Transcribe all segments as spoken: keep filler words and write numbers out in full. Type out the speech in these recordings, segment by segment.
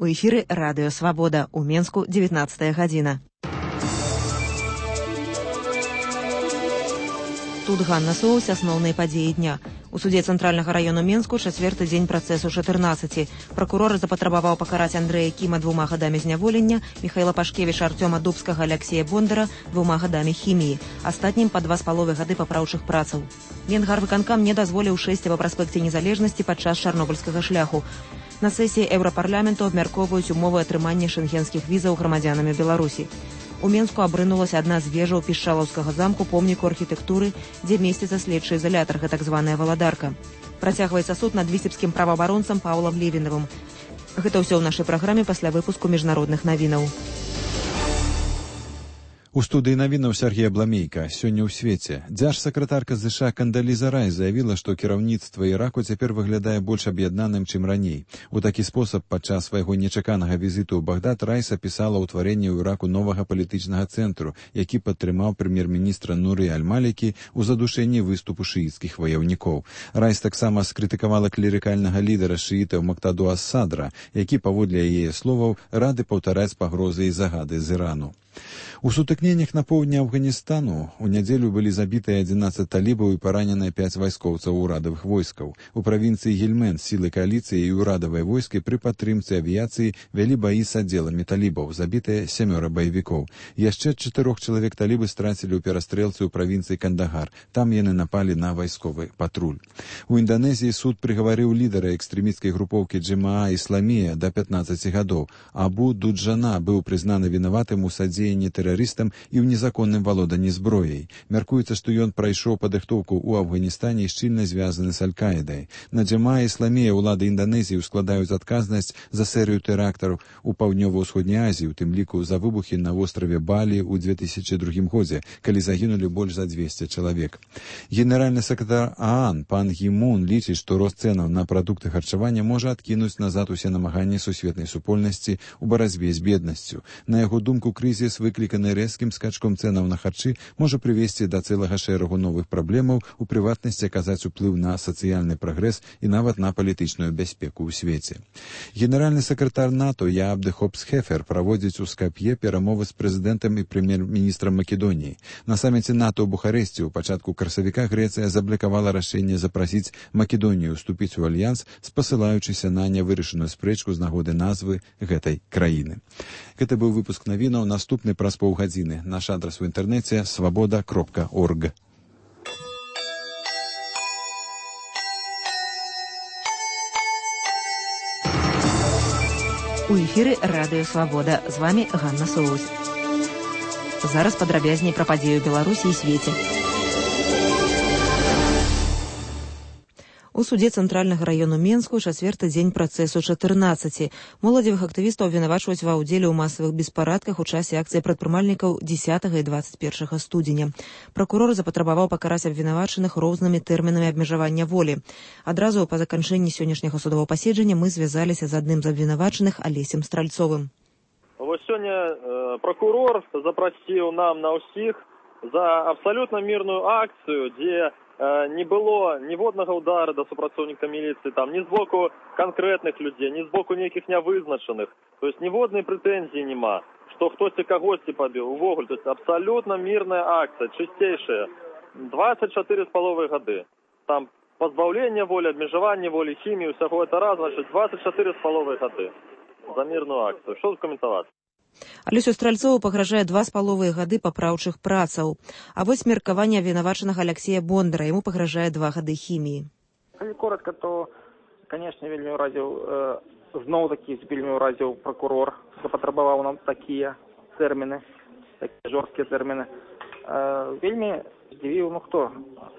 У эфіры радыё «Свабода». У Менску дзевятнадцатая гадзіна. Тут Ганна Соус, асноўныя падзеі дня. У судзе Цэнтральнага раёну Менску чацвёрты дзень працэсу чатырнаццаці. Пракурор запатрабаваў пакараць Андрэя Кіма двума гадамі зняволення, Міхаіла Пашкевіча, Артёма Дубскага, Аляксея Бондара двума гадамі хіміі, астатнім па два з паловай гады папраўчых працаў. Венгрвыканкам не дазволіў шэсці па праспекце незалежнасці падчас чарнобыльскага шляху. На сесіі Еўрапарламенту абмяркоўваюць умовы атрымання шэнгенскіх візаў грамадзянамі Беларусі. У Менску абрынулася адна з вежаў пішчалаўскага замку помніку архітэктуры, дзе месціцца следчы ізалятар, так званая валадарка. Працягваецца суд над віцебскім праваабаронцам Паўлам Левінавым. Гэта ўсё ў нашай праграме пасля выпуску міжнародных навінаў. У студыі навінаў Сергей Абламейка. Сёння ў свеце. Дзяржсакратарка ЗША Кандаліза Райс заявіла, што кіраўніцтва Іраку цяпер выглядае больш аб'яднаным, чым раней. У такі спосаб падчас свайго нечаканага візіту ў Багдад Райс апісала ўтварэнне ў Іраку новага палітычнага цэнтру, які падтрымаў прэм'ер-міністра Нуры Аль-Малікі ў задушэнні выступу шыіцкіх ваяўнікоў. Райс таксама скрытыкавала клерыкальнага лідара шыітаў Мактаду Ас-Садра, які, паводле яе словаў, рады паўтараць пагрозы і загады з Ірану. У сутыкненнях на поўдні Афганістану у нядзелю былі забітыя адзінаццаць талібаў і параненыя пяць вайскоўцаў урадавых войскаў. У правінцыі Гельмент сілы кааліцыі і ўрадавай войскі пры падтрымцы авіяцыі вялі баі з аддзеламі талібаў, забітыя сямёра баевікоў. Яшчэ чатырох чалавек талібы страцілі ў перастрэлцы ў правінцыі Кандагар. Там яны напалі на вайсковы патруль. У Інданезіі суд прыгаварыў лідара экстрэмісцкай групоўкі Джамаа Ісламія да пятнаццаці гадоў. Абу Дуджана быў прызнаны вінаватым у садзеянні тэрарыстам і ў незаконным валоданні зброяй. Мяркуецца, што ён прайшоў падрыхтоўку ў Афганістане і шчыльна звязаны з Аль-Каідай. На Джамаа Ісламія ўлады Інданезіі ускладаюць адказнасць за серыю тэрактаў у паўднёва-ўсходняй Азіі, у тым ліку за выбухі на востраве Балі ў две тысячы другім годзе, калі загінулі больш за дзвесце чалавек. Генеральны сакратар ААН пан Гі Мун лічыць, што рост цэнаў на прадукты харчавання можа адкінуць назад усе намаганні сусветнай супольнасці ў барацьбе з беднасцю. На яго думку, крызіс, выкліканы рэзкім скачком цэнаў на харчы, можа прывесці да цэлага шэрагу новых праблемаў, у прыватнасці аказаць уплыў на сацыяльны прагрэс і нават на палітычную бяспеку ў свеце. Генеральны сакратар НАТО Яабде Хопс-Хефер праводзіць у Скап'е перамовы з прэзідэнтам і прэм'ер-міністрам Македоніі. На саміце НАТО ў Бухарэсці ў пачатку красавіка Грэцыя заблакавала рашэнне запрасіць Македонію ўступіць у альянс, спасылаючыся на нявырашаную спрэчку з нагоды назвы гэтай краіны. Гэта быў выпуск навінаў. Наступны праз паўгадзіны. Наш адрас у інтэрнэце свабода кропка орг. У эфіры радыё «Свабода». З вамі Ганна Соус. Зараз падрабязней пра падзею Беларусі і свеце. У судзе Цэнтральнага раёну Менску чацвёрты дзень працэсу чатырнаццаці. Моладзевых актывістаў абвінавачваюць ва ўдзеле ў масавых беспарадках у часе акцыі прадпрымальнікаў дзесятага і дваццаць першага студзеня. Пракурор запатрабаваў пакараць абвінавачаных рознымі тэрмінамі абмежавання волі. Адразу па заканчэнні сённяшняга судовага паседжання мы звязаліся з адным з абвінавачаных Алесем Стральцовым. Вось сёння э, пракурор запрасціў нам на ўсіх за абсалютна мірную акцыю, дзе не было ніводнага удара да супрацоўніка міліцыі, там, ні з боку канкрэтных людзей, ні з боку нейкіх нявызначаных. То есть ніводнай прэтэнзіі няма, што хтосьці кагосьці пабіў. Увогуле, то есть абсалютна мірная акцыя, чысцейшая. дваццаць чатыры з паловай гады. Там пазбаўленне волі, абмежаванне волі, хімію, усяго гэта раз, значит, дваццаць чатыры з паловай гады за мірную акцыю. Што закаментаваць? Алесю Стральцову пагражае два з паловай гады папраўчых працаў. А вось меркаванне абвінавачанага Аляксея Бондара, яму пагражае два гады хіміі. Калі коротка, то, канешне, вельмі ўразіў, э, зноў-такі вельмі ўразіў пракурор, запатрабаваў нам такія тэрміны, такія жорсткія тэрміны. Э, вельмі здзівіў, ну хто?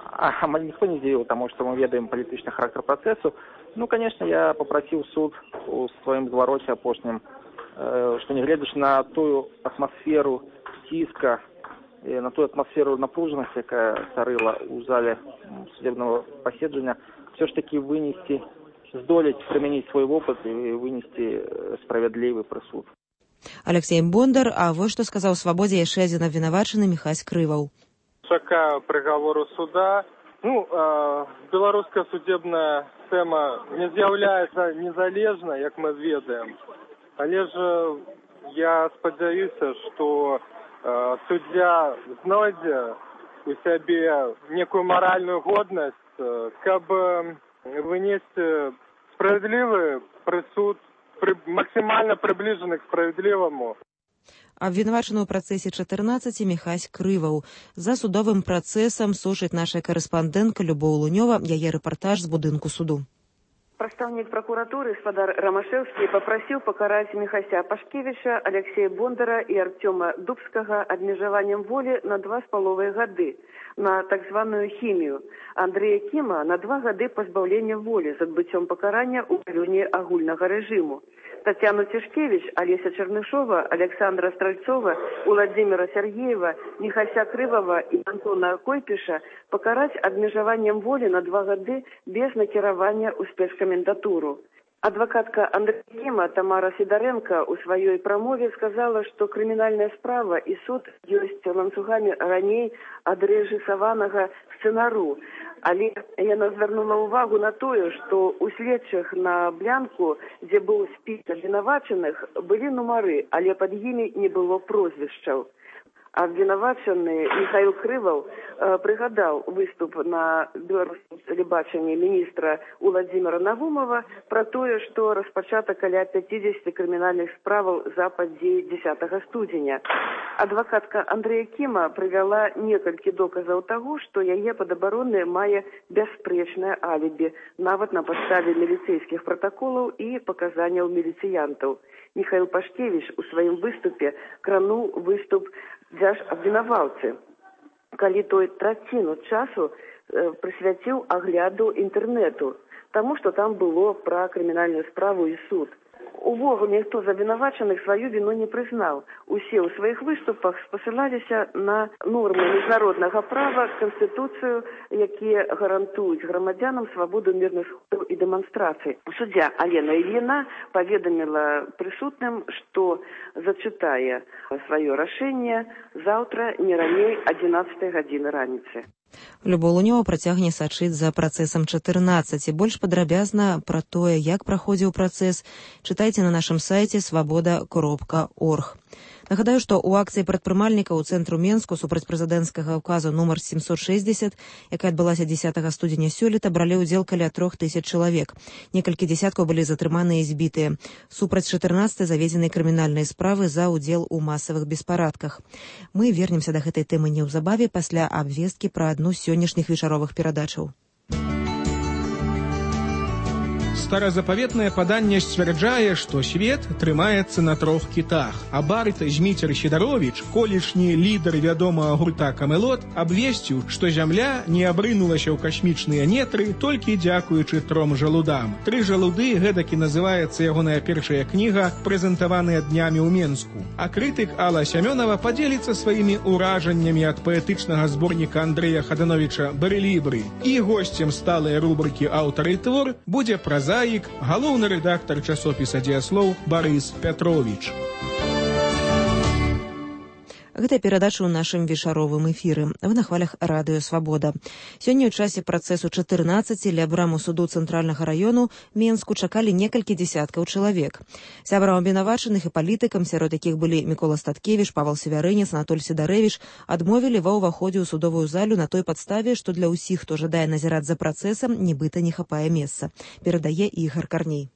А, амаль ніхто не здзівіў, таму што мы ведаем палітычны характар працэсу. Ну, канешне, я папрасіў суд у сваім звароце апошнім, што нягледзячы на тую атмасферу ціска, на тую атмасферу напружанасці, якая царыла ў зале судебнага паседжання, все ж таки вынесці, здолець прымяніць свой вопыт і вынесці справядлівы прысуд. Аляксей Бондар, а вось што сказаў Свабодзе яшчэ адзін абвінавачаны Міхась Крываў. Чакаю прыгавору суда. Ну, э, беларуская судебная сістэма не з'яўляецца незалежнай, як мы ведаем. Але ж я спадзяюся, што э, суддзя знойдзе у сябе некую маральную годнасць, э, каб э, вынесці справядлівы прысуд, пры, максімальна прыбліжаны к справядліваму. Абвінавачаны ў працэсе чатырнаццаці Міхась Крываў. За судовым працэсам сушыць наша карэспандэнтка Любоў Лунёва, яе рэпартаж з будынку суду. Прадстаўнік пракуратуры спадар Рамашэўскі папрасіў пакараць Міхася Пашкевіча, Алексея Бондара і Артёма Дубскага абмежаваннем волі на два з паловай гады на так званую хімію. Андрэя Кіма на два гады пазбаўлення волі з адбыццём пакарання ў павільні агульнага рэжыму. Татьяну Тишкевич, Олеся Чернышова, Александра Стрельцова, Владимира Сергеева, Михася Крывова и Антона Койпиша покарать обмежеванием воли на два года без накирования у спецкомендатуру. Адвокатка Андрея Кима Тамара Сидоренко у своей промове сказала, что криминальная справа и суд есть ланцугами раней адрежисаванага сцэнару. Але яна звярнула ўвагу на тое, што ў следчых на блянку, дзе быў спіс абвінавачаных, былі нумары, але пад імі не было прозвішчаў. Абвінавачаны Михаил Крываў э, прыгадаў выступ на беларускім тэлебачанні міністра Владимира Навумова пра тое, што распачата каля пяцідзесяці крымінальных справаў за падзеі дзесятага студзеня. Адвакатка Андрэя Кіма прывяла некалькі доказаў таго, што яе падабаронная мае бясспрэчнае алібі, нават на падставе міліцэйскіх пратаколаў і паказанняў міліцыянтаў. Михаил Пашкевич у сваім выступе крануў выступ дзяж абвінаваўцы, калі той траціну часу э, прысвяціў агляду інтэрнэту, таму што там было пра крымінальную справу і суд. Увогуле, ніхто з абвінавачаных сваю віну не прызнаў. Усе ў сваіх выступах спасылаліся на нормы міжнароднага права, Канстытуцыю, якія гарантуюць грамадзянам свабоду мірных сходаў і дэманстрацый. Суддзя Алена Ільіна паведаміла прысутным, што зачытае сваё рашэнне заўтра не раней адзінаццатай гадзіны раніцы. Любоў Лунёва працягне сачыць за працэсам чатырнаццаці. Больш падрабязна пра тое, як праходзіў працэс, чытайце на нашым сайце свабода кропка орг. Нагадаю, што ў акцыі прадпрымальнікаў у цэнтру Менску супраць прэзідэнцкага ўказу нумар семьсот шестьдесят, якая адбылася дзесятага студзеня сёлета, бралі ўдзел каля трох тысяч чалавек. Некалькі дзесяткаў былі затрыманыя і збітыя. Супраць чатырнаццатай заведзены крымінальныя справы за ўдзел у масавых беспарадках. Мы вернемся да гэтай тэмы неўзабаве пасля абвесткі пра адну з сённяшніх вечаровых перадачаў. Старазапаветнае паданне сцвярджае, што свет трымаецца на трох кітах. А Барт Зміцер Сідаровіч, колішні лідар вядомага гурта «Камелот», абвесціў, што зямля не абрынулася ў касмічныя нетры толькі дзякуючы тром жалудам. Тры жалуды гэтакі называецца ягоная першая кніга, прэзентаваная днямі ў Менску. А крытык Алла Сямёнова падзеліцца сваімі ўражаннямі ад паэтычнага зборніка Андрэя Хадановіча «Барэлібры». І госцем сталай рубрыкі «Аўтар і твор» будзе празаік, галоўны рэдактар часопіса «Дзеяслоў» Барыс Пятровіч. Гэта перадача ў нашым вечаровым эфіры. Вы на хвалях радыё «Свабода». Сёння ў часе працэсу чатырнаццаці ля браму суду цэнтральнага раёну Менску чакалі некалькі дзесяткаў чалавек. Сябрам абвінавачаных і палітыкам, сярод якіх былі Мікола Статкевіч, Павал Севярынец, Анатоль Сідарэвіч, адмовілі ва ўваходзе ў судовую залю на той падставе, што для ўсіх, хто жадае назіраць за працэсам, нібыта не хапае месца. Перадае Ігар Карней.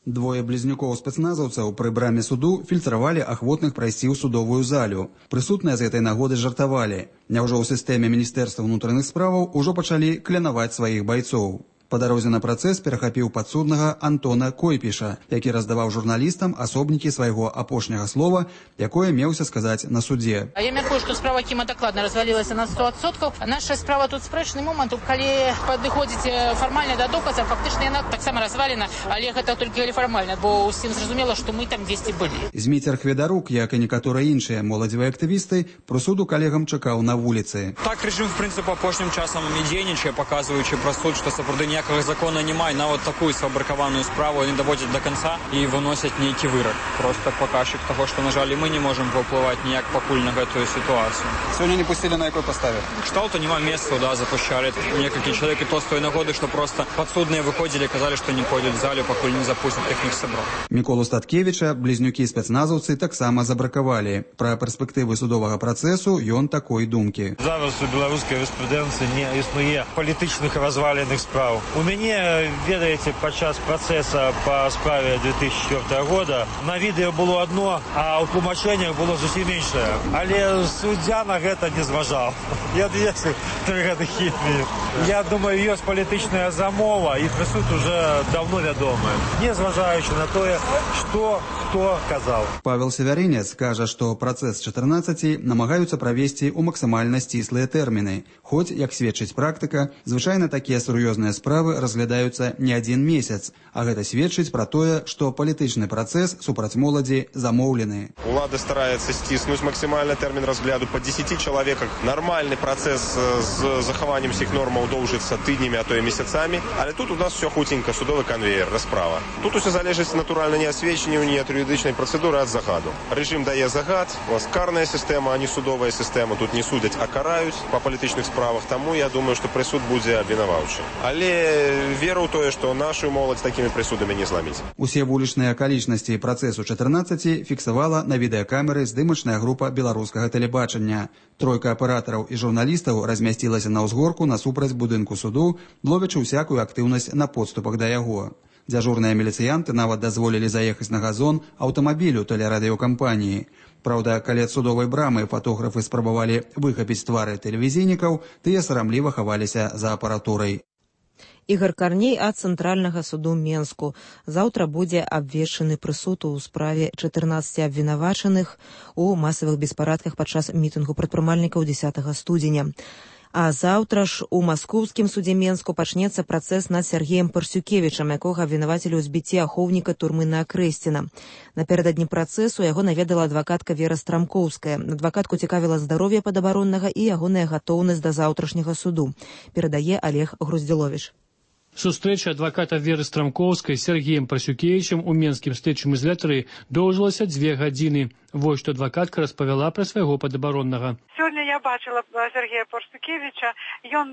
Двое близнюкоў спецназаўцаў пры браме суду фільтравалі ахвотных прайсці ў судовую залю. Прысутныя з гэтай нагоды жартавалі. Няўжо ў сістэме Міністэрства ўнутраных справаў ужо пачалі клянаваць сваіх байцоў. Па дарозе на працэс перахапіў падсуднага Антона Койпіша, які раздаваў журналістам асобнікі свайго апошняга слова, якое меўся сказаць на судзе. Я мяркую, што справа Кіма дакладна развалілася на сто адсоткаў. Наша справа тут спрэчны момант, калі падыходзіць фармальна да доказа, фактычна яна таксама развалена, але гэта толькі фармальна, бо ўсім зразумела, што мы там дзесьці былі. Зміцер Хведарук, як і некаторыя іншыя моладзевыя актывісты, прысуду калегам чакаў на вуліцы. Так рэжым, в прынцыпе, апошнім часам і дзейнічае, паказваючы праз суд, што сапраўды ніякага закона няма, і нават такую сфабрыкаваную справу они даводзяць до конца і выносяць нейкі вырак. Просто паказчык таго, што, на жаль, мы не можам паўплываць ніяк пакуль на гэтую сітуацыю. Сёння не пусцілі на якой паставе? Кшталту няма месцаў, да, запушчалі некалькі чалавек, і то з той нагоды, што просто падсудныя выходзілі, казалі, што не пойдуць в залю, пакуль не запусцяць іхніх сяброў. Міколу Статкевіча блізнюкі спецназаўцы таксама забракавалі. Пра перспектывы судовага працэсу ён такой думкі. Зараз у беларускай юрыспрудэнцыі не існуе палітычных разваленых справ. У мяне, ведаеце, падчас працэса па справе две тысячи четвёртого года на відэо было одно, а ў тлумачэннях было зусім іншае. Але суддзя на гэта не зважаў. Я двести три гады хітмі. Я думаю, ёсць палітычная замова, і прысуд уже давно вядомы. Не зважаючы на тое, што хто казаў. Павел Севярынец кажа, што працэс чатырнаццаці намагаюцца правесці ў максімальна сціслыя тэрміны. Хоць, як сведчыць практыка, звычайна такія сур'ёзныя справы разглядаюцца не адзін месяц, а гэта сведчыць пра тое, што палітычны працэс супраць моладзі замоўлены. Улада стараецца сціснуць максімальны тэрмін разгляду па дзесяці чалавеках. Нармальны працэс з захаваннем усіх нормаў доўжыцца тыднямі, а то і месяцамі, але тут у нас все хутенька, судовы канвеер, расправа. Тут усё залежыць натуральна не ад сведчанняў, ні ад юрыдычнай працэдуры, а ад загаду. Рэжым дае загад, у нас карная сістэма, а не судовая сістэма. Тут не судяць, а караюць па палітычных справах, таму я думаю, што прысуд будзе абвінаваўчы. Але веру ў тое, што нашу моладзь такімі прысудамі не зламіць. Усе вулічныя акалічнасці працэсу чатырнаццаці фіксавала на відэакамеры здымачная група беларускага тэлебачання. Тройка аператараў і журналістаў размясцілася на ўзгорку насупраць будынку суду, ловячы ўсякую актыўнасць на подступах да яго. Дзяжурныя міліцыянты нават дазволілі заехаць на газон аўтамабілю тэлерадыёкампаніі. Праўда, каля судовай брамы фотографы спрабавалі выхапіць твары тэлевізійнікаў, тыя сарамліва хаваліся за апаратурай. Ігор Карней ад Цэнтральнага суду Менску. Заўтра будзе абвешчаны прысуд у справе чатырнаццаці абвінавачаных у масавых беспарадках падчас мітынгу прадпрымальнікаў дзесятага студзеня. А заўтра ж у маскоўскім судзе Менску пачнецца працэс над Сергеем Парсюкевічам, якога абвінавацілі ў збіцці ахоўніка турмы на Акрэсціна. Напярэдадні працэсу яго наведала адвакатка Вера Страмкоўская. Адвакатку цікавіла здароўе падабароннага і ягоная гатоўнасць да заўтрашняга суду. Перадае Олег Груздзіловіч. Сустрэча адваката Веры Страмкоўскай з Сергеем Парсюкевічам у менскім следчым ізалятары доўжылася дзве гадзіны. Вось што адвакатка распавяла пра свайго падабароннага. Сёння я бачыла Сергея Парсюкевіча. Ён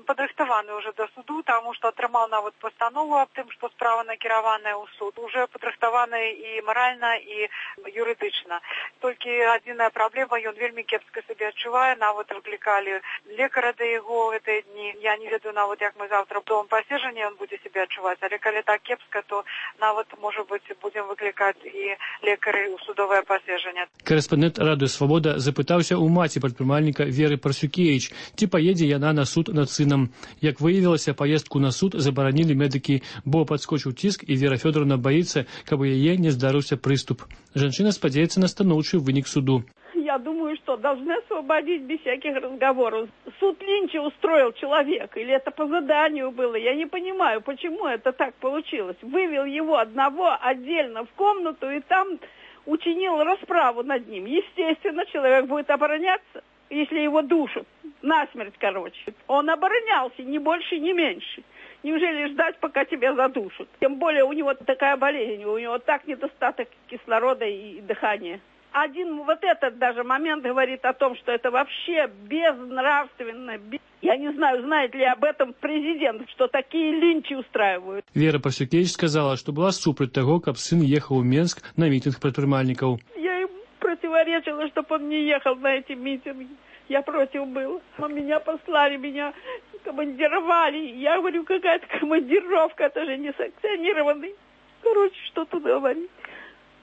падрыхтаваны ўжо да суду, таму што атрымаў нават пастанову аб тым, што справа накіраваная ў суд. Уже падрыхтаваны і маральна, і юрыдычна. Толькі адзіная праблема, ён вельмі кепска сябе адчувае. Нават выклікалі лекара да яго гэтыя дні. Я не ведаю нават, як мы заўтра дома пасежання ён будзе сябе адчуваць. Але калі так кепска, то нават, можа быць, будзем выклікаць і лекары ў судовае пасежанне. Корэспандэнт Радыё Свабода запытаўся ў маці прадпрымальніка Веры Парсюкевіч, ці паедзе яна на суд над сынам. Як выявілася, паездку на суд забаранілі медыкі, бо падскочыў ціск, і Вера Фёдоровна баіцца, каб у яе не здарыўся прыступ. Жанчына спадзяецца на станоўчы вынік суду. Я думаю, что должны освободить без всяких разговоров. Суд Линча устроил человек, или это по заданию было, я не понимаю, почему это так получилось. Вывел его одного отдельно в комнату и там учинил расправу над ним. Естественно, человек будет обороняться, если его душат. Насмерть, короче. Он оборонялся, ни больше, ни меньше. Неужели ждать, пока тебя задушат? Тем более у него такая болезнь, у него так недостаток кислорода и дыхания. Один вот этот даже момент говорит о том, что это вообще безнравственно. Я не знаю, знает ли об этом президент, что такие линчи устраивают. Вера Парсюкевич сказала, что была супраць того, как сын ехал в Менск на митинг прадпрымальнікаў. Я им противоречила, чтобы он не ехал на эти митинги. Я против была. Меня послали, меня командировали. Я говорю, какая-то командировка, это же не санкционированный. Короче, что тут говорить.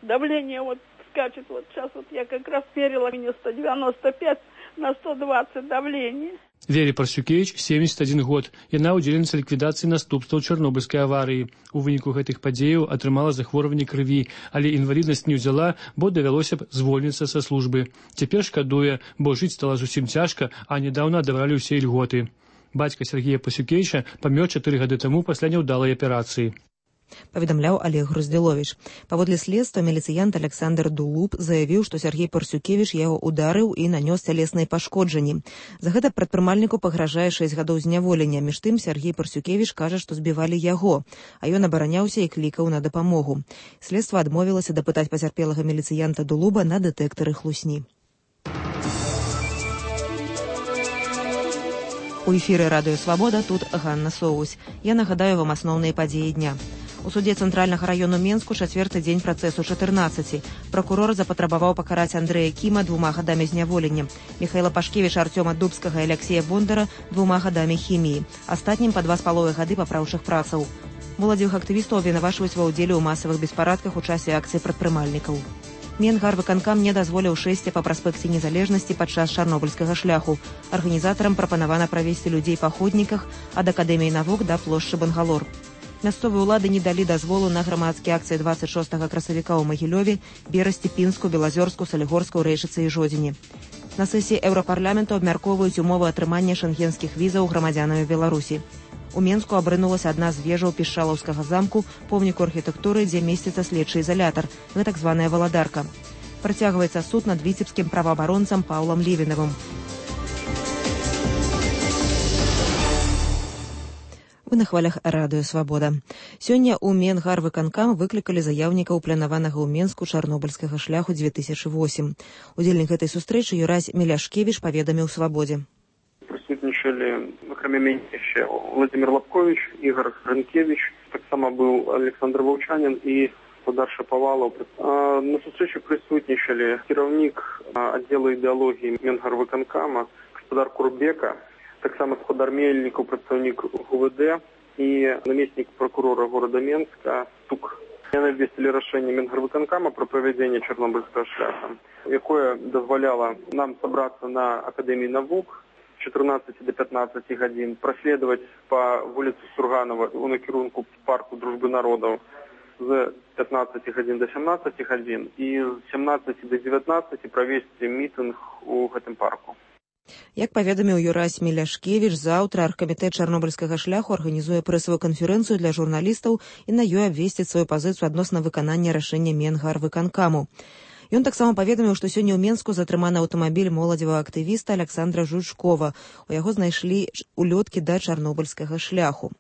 Давление вот скачет. Вот сейчас вот я как раз мерила, мне сто девяносто пять на сто двадцать давление. Вере Парсюкевич семьдесят один год. Яна ўдзельніца ліквідацыі наступстваў Чарнобыльскай аварыі. У выніку гэтых падзеяў атрымала захворванне крыві, але інваліднасць не ўзяла, бо давялося б звольніцца са службы. Цяпер шкадуе, бо жыць стала зусім цяжка, а нядаўна адабралі ўсе ільготы. Бацька Сергея Парсюкевіча памёр чатыры гады таму пасля няўдалай аперацыі. паведамляў Олег Груздзіловіч. Паводле следства міліцыянт Александр Дулуб заявіў, што Сергей Парсюкевіч яго ударыў і нанёс цялесныя пашкоджанні. За гэта прадпрымальніку пагражае шэсць гадоў зняволення. Між тым Сергей Парсюкевіч кажа, што збівалі яго, а ён абараняўся і клікаў на дапамогу. Следства адмовілася дапытаць пацярпелага міліцыянта Дулуба на дэтэктары хлусні. У эфіры радыё «Свабода», тут Ганна Соусь. Я нагадаю вам асноўныя падзеі дня. У суде цэнтральнага раёну Менску чацвёрты дзень працэсу чатырнаццаці. Пракурор запатрабаваў пакараць Андрэя Кіма двума гадамі зняволення, Михайла Пашкевіча, Артёма Дубскага і Алексея Бондара двума гадамі хіміі, астатнім па два з паловай гады папраўчых працаў. Моладзевых актывістаў абвінавачваюць ва ўдзеле ў масавых беспарадках у часе акцыі прадпрымальнікаў. Менгарвыканкам не дазволіў шэсці па праспекце Незалежнасці падчас чарнобыльскага шляху. Арганізатарам прапанавана правесці людзей па ходніках ад Акадэміі навук да плошчы Бангалор. Мясцовыя ўлады не далі дазволу на грамадскія акцыі дваццаць шостага красавіка ў Магілёве, Берасці, Пінску, Белазёрску, Салігорску, Рэйчыцы і Жодзіне. На сесіі Еўрапарламенту абмяркоўваюць умовы атрымання шэнгенскіх візаў грамадзянамі Беларусі. У Менску абрынулася адна з вежаў Пішчалаўскага замку, помніку архітэктуры, дзе месціцца следчы ізалятар, гэтак званая валадарка. Працягваецца суд над віцебскім праваабаронцам Паўлам Левінавым. Вы на хвалях радыё «Свабода». Сёння ў Менгарвыканкам выклікалі заяўнікаў планаванага ў Менску чарнобыльскага шляху дзве тысячы восем. Удзельнік гэтай сустрэчы Юрась Міляшкевіч паведаміў «Свабодзе». Присутнічали, окремя мене, ще Владимир Лапкович, Ігор Гринкевич, так само був Олександр Вовчанин і Господар Шаповалов. На зустрічі присутнічали керівник відділу ідеології Менгарвиконкама, господар Курбека, так само господар Мельников, представник ГУВД і намісник прокурора города Менска Тук. Они обвестили рішення Менгарвиконкама про проведення Чорнобильського шляху, яке дозволяло нам зібратися на Академії наук с чотирнадцяти до пятнадцати годин, проследовать по вулиці Сурганова у накерунку парку Дружби народів з пятнадцати годин до сімнадцяти годин і з сімнадцяти до девятнадцати провести мітинг у гэтым парку. Як паведаміў Юрась Міляшкевіч, заўтра аргкамітэт чарнобыльскага шляху арганізуе прэсавую канферэнцыю для журналістаў і на ёй абвесціць сваю пазіцыю адносна выканання рашэння Менгарвыканкаму. Ён таксама паведаміў, што сёння ў Менску затрыманы аўтамабіль моладзевага актывіста Александра Жучкова. У яго знайшлі улёткі да чарнобыльскага шляху.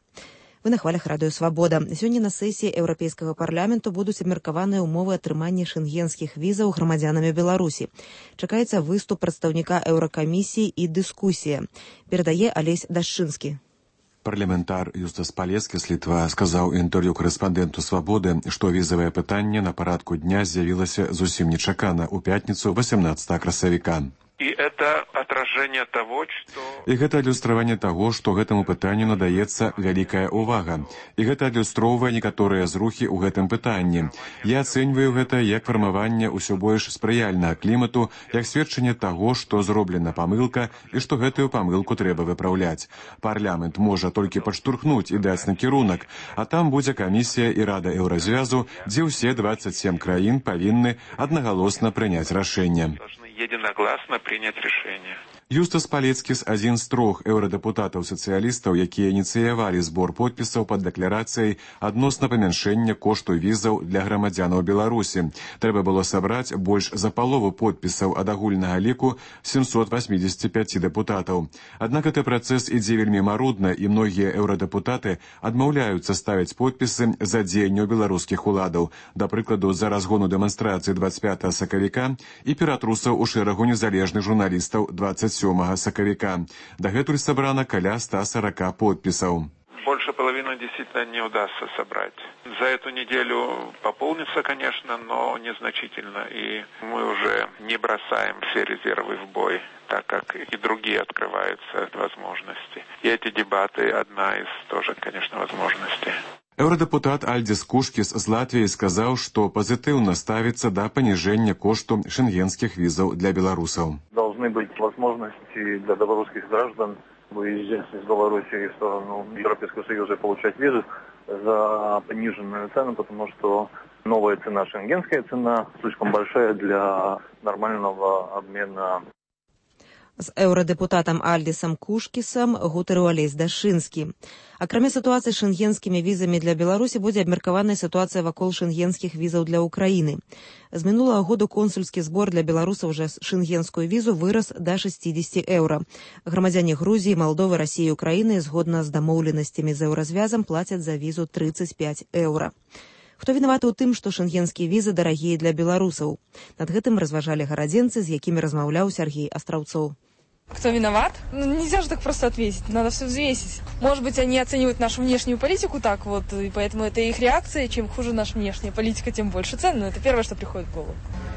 Вы на хвалях радыё «Свабода». Сёння на сесіі Еўрапейскага парламенту будуць абмеркаваныя ўмовы атрымання шэнгенскіх візаў грамадзянамі Беларусі. Чакаецца выступ прадстаўніка Еўракамісіі і дыскусія. Перадае Алесь Дашчынскі. Парламентар Юстас Палецкі з Літва сказаў інтэрв'ю корэспандэнту «Свабоды», што візавае пытанне на парадку дня з'явілася зусім нечакана ў пятніцу васемнаццатага красавіка. И это отражение того, что... І гэта адлюстраванне таго, што гэтаму пытанню надаецца вялікая ўвага. І гэта адлюстроўвае некаторыя зрухі ў гэтым пытанні. Я ацэньваю гэта як фармаванне ўсё больш спрыяльнага клімату, як сведчанне таго, што зроблена памылка і што гэтую памылку трэба выпраўляць. Парламент можа толькі падштурхнуць і даць накірунак, а там будзе камісія і рада Еўразвязу, дзе ўсе дваццаць сем краін павінны аднагалосна прыняць рашэнне. Единогласно принять решение. Юстас Палецкіс адзін з трох еўрадепутатаў-сацыялістаў, якія ініцыявалі збор подпісаў пад дэкларацыяй адносна памяншэння кошту візаў для грамадзянаў Беларусі. Трэба было сабраць больш за палову подпісаў ад агульнага ліку сямсот васьмідзесяці пяці дэпутатаў. Аднак гэты працэс ідзе вельмі марудна, і многія еўрадэпутаты адмаўляюцца ставіць подпісы за дзеянняў беларускіх уладаў, да прыкладу, за разгону дэманстрацыі дваццаць пятага сакавіка і ператрусаў у шэрагу незалежных журналістаў дваццаць сёмага сакавіка. Дагэтуль сабрана каля ста сорока подпісаў. Больше половины действительно не удастся собрать. За эту неделю пополнится, конечно, но незначительно. И мы уже не бросаем все резервы в бой, так как и другие открываются возможности. И эти дебаты одна из тоже, конечно, возможностей. Еўрадэпутат Альдзіс Кушкіс з Латвіі сказаў, што пазітыўна ставіцца да паніжэння кошту шенгенскіх візаў для беларусаў. Должны быть возможности для белорусских граждан выезжать из Беларуси в сторону Европейского Союза и получать визы за пониженную цену, потому что новая цена, шенгенская цена, слишком большая для нормального обмена. З еўрадэпутатам Альдісам Кушкісам гутарыў Алесь Дашынскі. Акрамя сітуацыі з шэнгенскімі візамі для Беларусі будзе абмеркаваная сітуацыя вакол шэнгенскіх візаў для Украіны. З минулого году консульскі збор для беларусаў за шэнгенскую візу вырас да шэсцідзесяці еўра. Грамадзяне Грузіі, Малдовы, Расіі і Украіны згодна з дамоўленасцямі з еўразвязам плацяць за візу трыццаць пяць еўра. Хто вінаваты ў тым, што шэнгенскія візы дарагія для беларусаў? Над гэтым разважалі гарадзенцы, з якімі размаўляў Сергей Астраўцоў. Кто виноват? Ну, нельзя же так просто ответить, надо все взвесить. Может быть, они оценивают нашу внешнюю политику так вот, и поэтому это их реакция. Чем хуже наша внешняя политика, тем больше цен. Но это первое, что приходит в голову.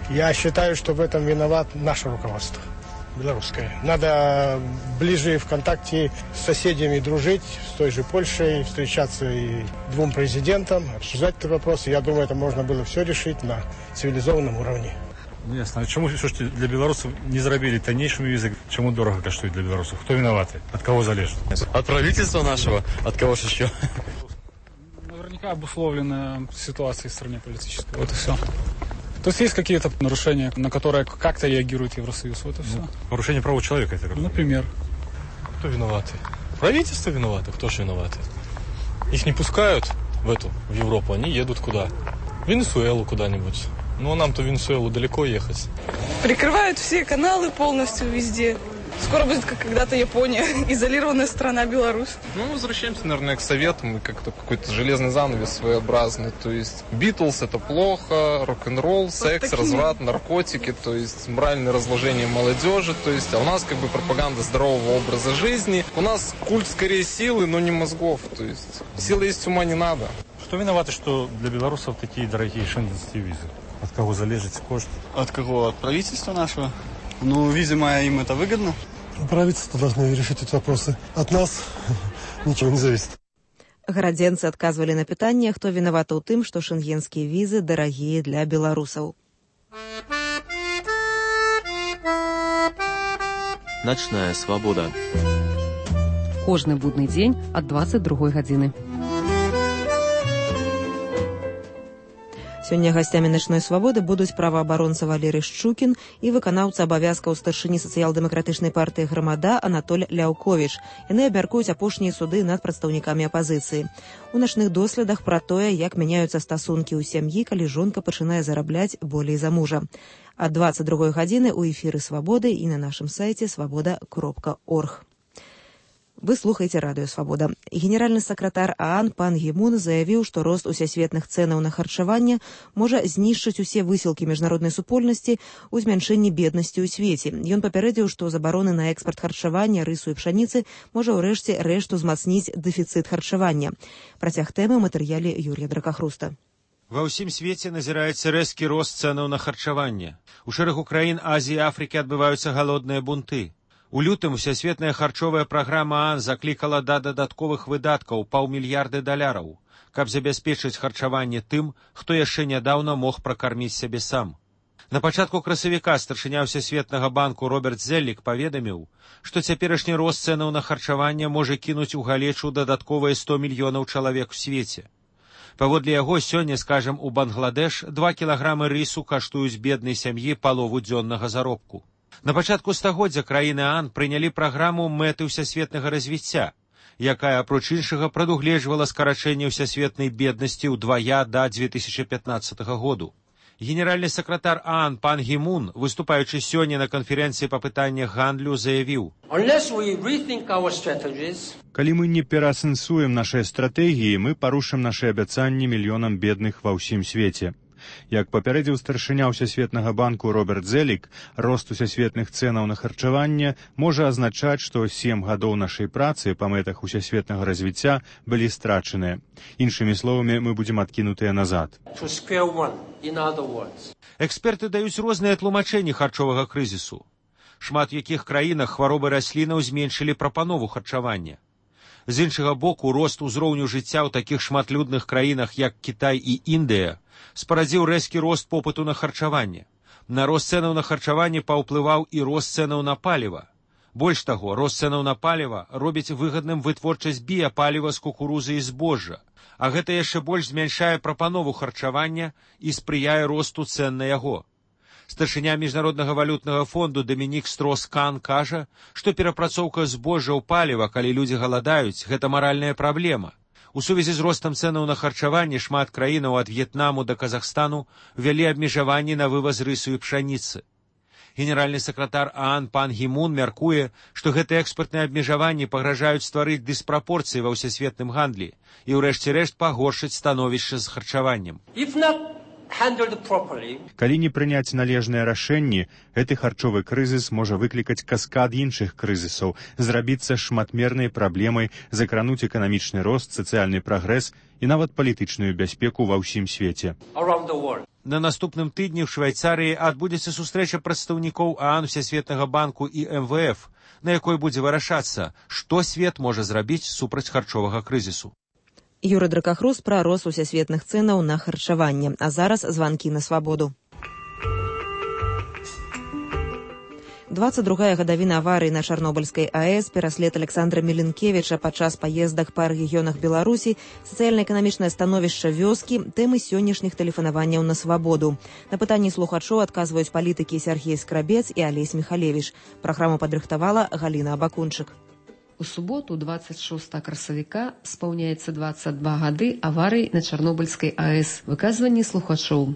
Я считаю, что в этом виноват наше руководство, белорусское. Надо ближе в контакте с соседями дружить, с той же Польшей, встречаться и двум президентам, обсуждать этот вопрос. Я думаю, это можно было все решить на цивилизованном уровне. Ну, ясно. А чому все ж для белорусов не зробили тоннейшими визы? Чему дорого коштует для белорусов? Кто виноваты? От кого залежит? От правительства нашего. От кого же еще? Наверняка обусловлена ситуацией в стране политической. Вот и все. То есть есть какие-то нарушения, на которые как-то реагирует Евросоюз. Вот и все. Ну, нарушение прав человека, это как? Например. Кто виноваты? Правительство виновато? Кто же виноваты? Их не пускают в эту, в Европу. Они едут куда? В Венесуэлу куда-нибудь. Ну, нам-то в Венесуэлу далеко ехать. Прикрывают все каналы полностью везде. Скоро будет, как когда-то Япония, изолированная страна Беларусь. Ну, возвращаемся, наверное, к советам. Как-то какой-то железный занавес своеобразный. То есть Битлз — это плохо, рок-н-ролл, секс, вот разврат, наркотики, то есть моральное разложение молодежи. То есть, а у нас как бы пропаганда здорового образа жизни. У нас культ скорее силы, но не мозгов. То есть силы есть, ума не надо. Что виноваты, что для белорусов такие дорогие шенгенские визы? От кого залежит кошт? От кого? От правительства нашего? Ну, видимо, им это выгодно. Правительство должно решить эти вопросы. От нас ничего не зависит. Гарадзенцы адказвалі на пытанне, хто вінаваты ў тым, што шэнгенскія візы дарагія для беларусаў. Начная свабода. Кожны будны дзень ад дваццаць другой гадзіны. Сёння гасцямі начной свабоды будуць праваабаронца Валерый Шчукін і выканаўца абавязкаў старшыні сацыял-дэмакратычнай партыі «Грамада» Анатоль Ляўковіч. Яны абмяркуюць апошнія суды над прадстаўнікамі апазіцыі. У начных доследах пра тое, як мяняюцца стасункі ў сям'і, калі жонка пачынае зарабляць болей за мужа. Ад дваццаць другой гадзіны ў эфіры «Свабоды» і на нашым сайце свабода кропка орг. Вы слухаеце радыё «Свабода». Генеральны сакратар ААН пан Гі Мун заявіў, што рост усесветных цэнаў на харчаванне можа знішчыць усе высілкі міжнароднай супольнасці ў змяншэнні беднасці ў свеце. Ён папярэдзіў, што забароны на экспарт харчавання, рысу і пшаніцы можа ўрэшце рэшту змацніць дэфіцыт харчавання. Працяг тэмы ў матэрыяле Юрія Дракахруста. Ва ўсім свеце назіраецца рэзкі рост цэнаў на харчаванне. У шэрагу краін Азіі і Афрыкі адбываюцца галодныя бунты. У лютым усесветная харчовая праграма ААН заклікала да дадатковых выдаткаў паўмільярды даляраў, каб забяспечыць харчаванне тым, хто яшчэ нядаўна мог пракарміць сябе сам. На пачатку красавіка старшыня Всесветнага банку Роберт Зеллік паведаміў, што цяперашні рост цэнаў на харчаванне можа кінуць у галечу дадатковыя сто мільёнаў чалавек у свеце. Паводле яго, сёння, скажам, у Бангладеш два кілаграмы рысу каштуюць беднай сям'і палову дзённага заробку. На пачатку стагоддзя краіны ААН прынялі праграму мэты ўсясветнага развіцця, якая, апроч іншага, прадугледжвала скарачэнне ўсясветнай беднасці ўдвая да дзве тысячы пятнаццатага году. Генеральны сакратар ААН пан Гі Мун, выступаючы сёння на канферэнцыі па пытаннях гандлю, заявіў: «Калі мы не пераасэнсуем нашыя стратэгіі, мы парушым нашы абяцанні мільёнам бедных ва ўсім свеце. Як папярэдзіў старшыня ўсясветнага банку Роберт Зеллік, рост усясветных цэнаў на харчаванне можа азначаць, што сем гадоў нашай працы па мэтах усясветнага развіцця былі страчаныя. Іншымі словамі, мы будзем адкінутыя назад. Эксперты даюць розныя тлумачэнні харчовага крызісу. Шмат у якіх краінах хваробы раслінаў зменшылі прапанову харчавання. З іншага боку, рост узроўню жыцця ў такіх шматлюдных краінах, як Кітай і Індыя, спарадзіў рэзкі рост попыту на харчаванне. На рост цэнаў на харчаванне паўплываў і рост цэнаў на паліва. Больш таго, рост цэнаў на паліва робіць выгадным вытворчасць біяпаліва з кукурузы і збожжа, а гэта яшчэ больш змяншае прапанову харчавання і спрыяе росту цэн на яго. Старшыня міжнароднага валютнага фонду Дамінік Строс-Кан кажа, што перапрацоўка збожжа ў паліва, калі людзі галадаюць, гэта маральная праблема. У сувязі з ростам цэнаў на харчаванне шмат краінаў ад В'етнаму да Казахстану ввялі абмежаванні на вываз рысу і пшаніцы. Генеральны сакратар ААН пан Гімун мяркуе, што гэтыя экспартныя абмежаванні пагражаюць стварыць дыспрапорцыі ва ўсесветным гандлі і ўрэшце рэшт пагоршыць становішча з харчаваннем. Калі не прыняць належныя рашэнні, гэты харчовы крызіс можа выклікаць каскад іншых крызісаў, зрабіцца шматмернай праблемай, закрануць эканамічны рост, сацыяльны прагрэс і нават палітычную бяспеку ва ўсім свеце. На наступным тыдні ў Швайцарыі адбудзецца сустрэча прадстаўнікоў ААН, Всесветнага банку і эм вэ эф, на якой будзе вырашацца, што свет можа зрабіць супраць харчовага крызісу. Юры Дракахрус пра рост усесветных цэнаў на харчаванне. А зараз званкі на свабоду. двадцать другая гадавіна аварыі на Чарнобыльскай АЭС, пераслед Александра Міленкевіча падчас паездак па рэгіёнах Беларусі, сацыяльна-эканамічнае становішча вёскі, тэмы сённяшніх тэлефанаванняў на свабоду. На пытанні слухачоў адказваюць палітыкі Сергей Скрабец і Алесь Михалевич. Праграму падрыхтавала Галіна Абакунчык. У суботу, двадцать шостага красавіка, спаўняецца двадцать два гады аварыі на Чарнобыльскай АЭС. Выказванні слухачоў.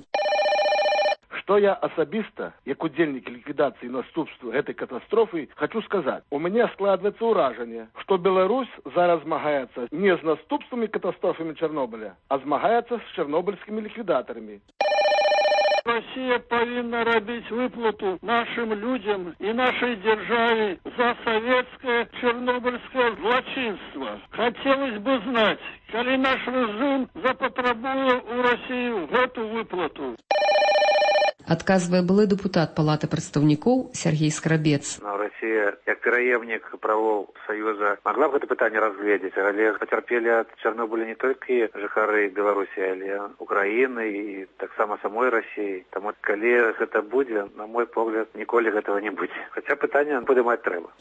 Што я асабіста, як удзельнік ліквідацыі наступстваў гэтай катастрофы, хочу сказаць. У мяне складваецца ўражанне, што Беларусь зараз змагаецца не з наступствамі катастрофамі Чарнобыля, а змагаецца з чарнобыльскімі ліквідатарамі. Россия повинна робить выплату нашим людям и нашей державе за советское чернобыльское злочинство. Хотелось бы знать, коли наш режим запотребует у России эту выплату. Адказвае былы дэпутат Палаты прадстаўнікоў Сергей Скрабец. Но Россия, як пераемнік правоў Саюза, могла б гэта пытанне разгледзець, але пацярпелі ад Чарнобыля не толькі жыхары Беларусі, але Украіны і таксама самой Россіі. Таму калі гэта будзе, на мой погляд, ніколі гэтага не будзе. Хаця пытанне падымаць трэба.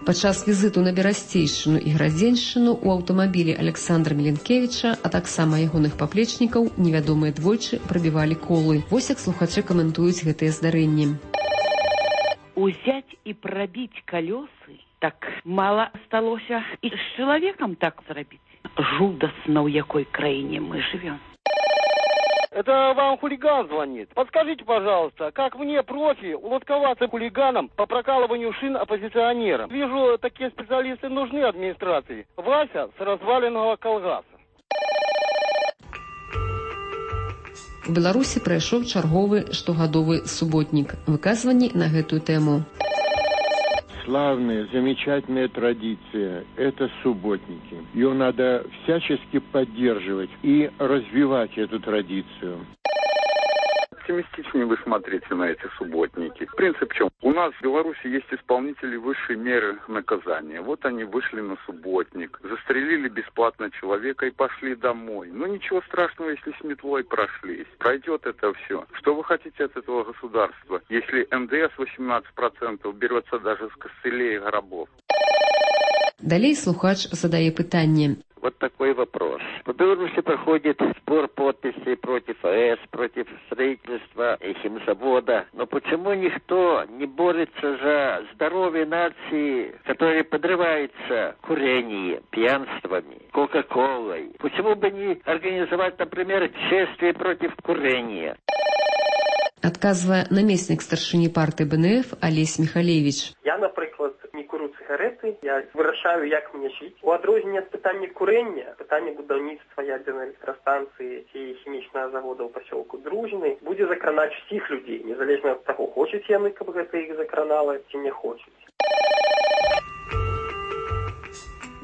Падчас візіту на Берасцейшчыну і Градзеншчыну у аўтамабілі Александра Міленкевіча, а таксама ягоных паплечнікаў, невядомыя двойчы прабівалі колы. Вось як слухачы каментуюць гэтыя здарэнні. Узяць і прабіць калёсы так мала сталося і з чалавекам так зрабіць. Жудасна, ў якой краіне мы живем. Это вам хулиган звонит. Подскажите, пожалуйста, как мне, профи, улодковаться хулиганом по прокалыванию шин оппозиционерам? Вижу, такие специалисты нужны администрации. Вася с разваленного колгаса. У Беларусі прайшоў чарговы штогадовы суботнік. Выказванні на гэтую тэму. Славная, замечательная традиция – это субботники. Ее надо всячески поддерживать и развивать эту традицию. Оптимистичнее вы смотрите на эти субботники. Принцип в чем? У нас в Беларуси есть исполнители высшей меры наказания. Вот они вышли на субботник, застрелили бесплатно человека и пошли домой. Ну ничего страшного, если с метлой прошлись. Пройдет это все. Что вы хотите от этого государства, если эм дэ эс восемнадцать процентов берется даже с костылей и гробов? Далей слухач задае пытанне. Вот такой вопрос. В Беларуси проходит сбор подписей против АЭС, против строительства химзавода. Но почему никто не борется за здоровье нации, которая подрывается курением, пьянствами, кока-колой? Почему бы не организовать, например, шествие против курения? Адказвае намеснік старшыні партыі бэ эн эф Алесь Михалевич. Я, наприклад, не курю цыгареты, я вырашаю, як мне жыць. У адрозненне ад пытання курення, пытанне будаўніцтва ядзернай электрастанцыі ці хімічнага завода ў пасёлку Дружыны будзе закранаць усіх людзей, незалежна ад таго, хочуць яны, каб гэта іх закранала, ці не хочуць.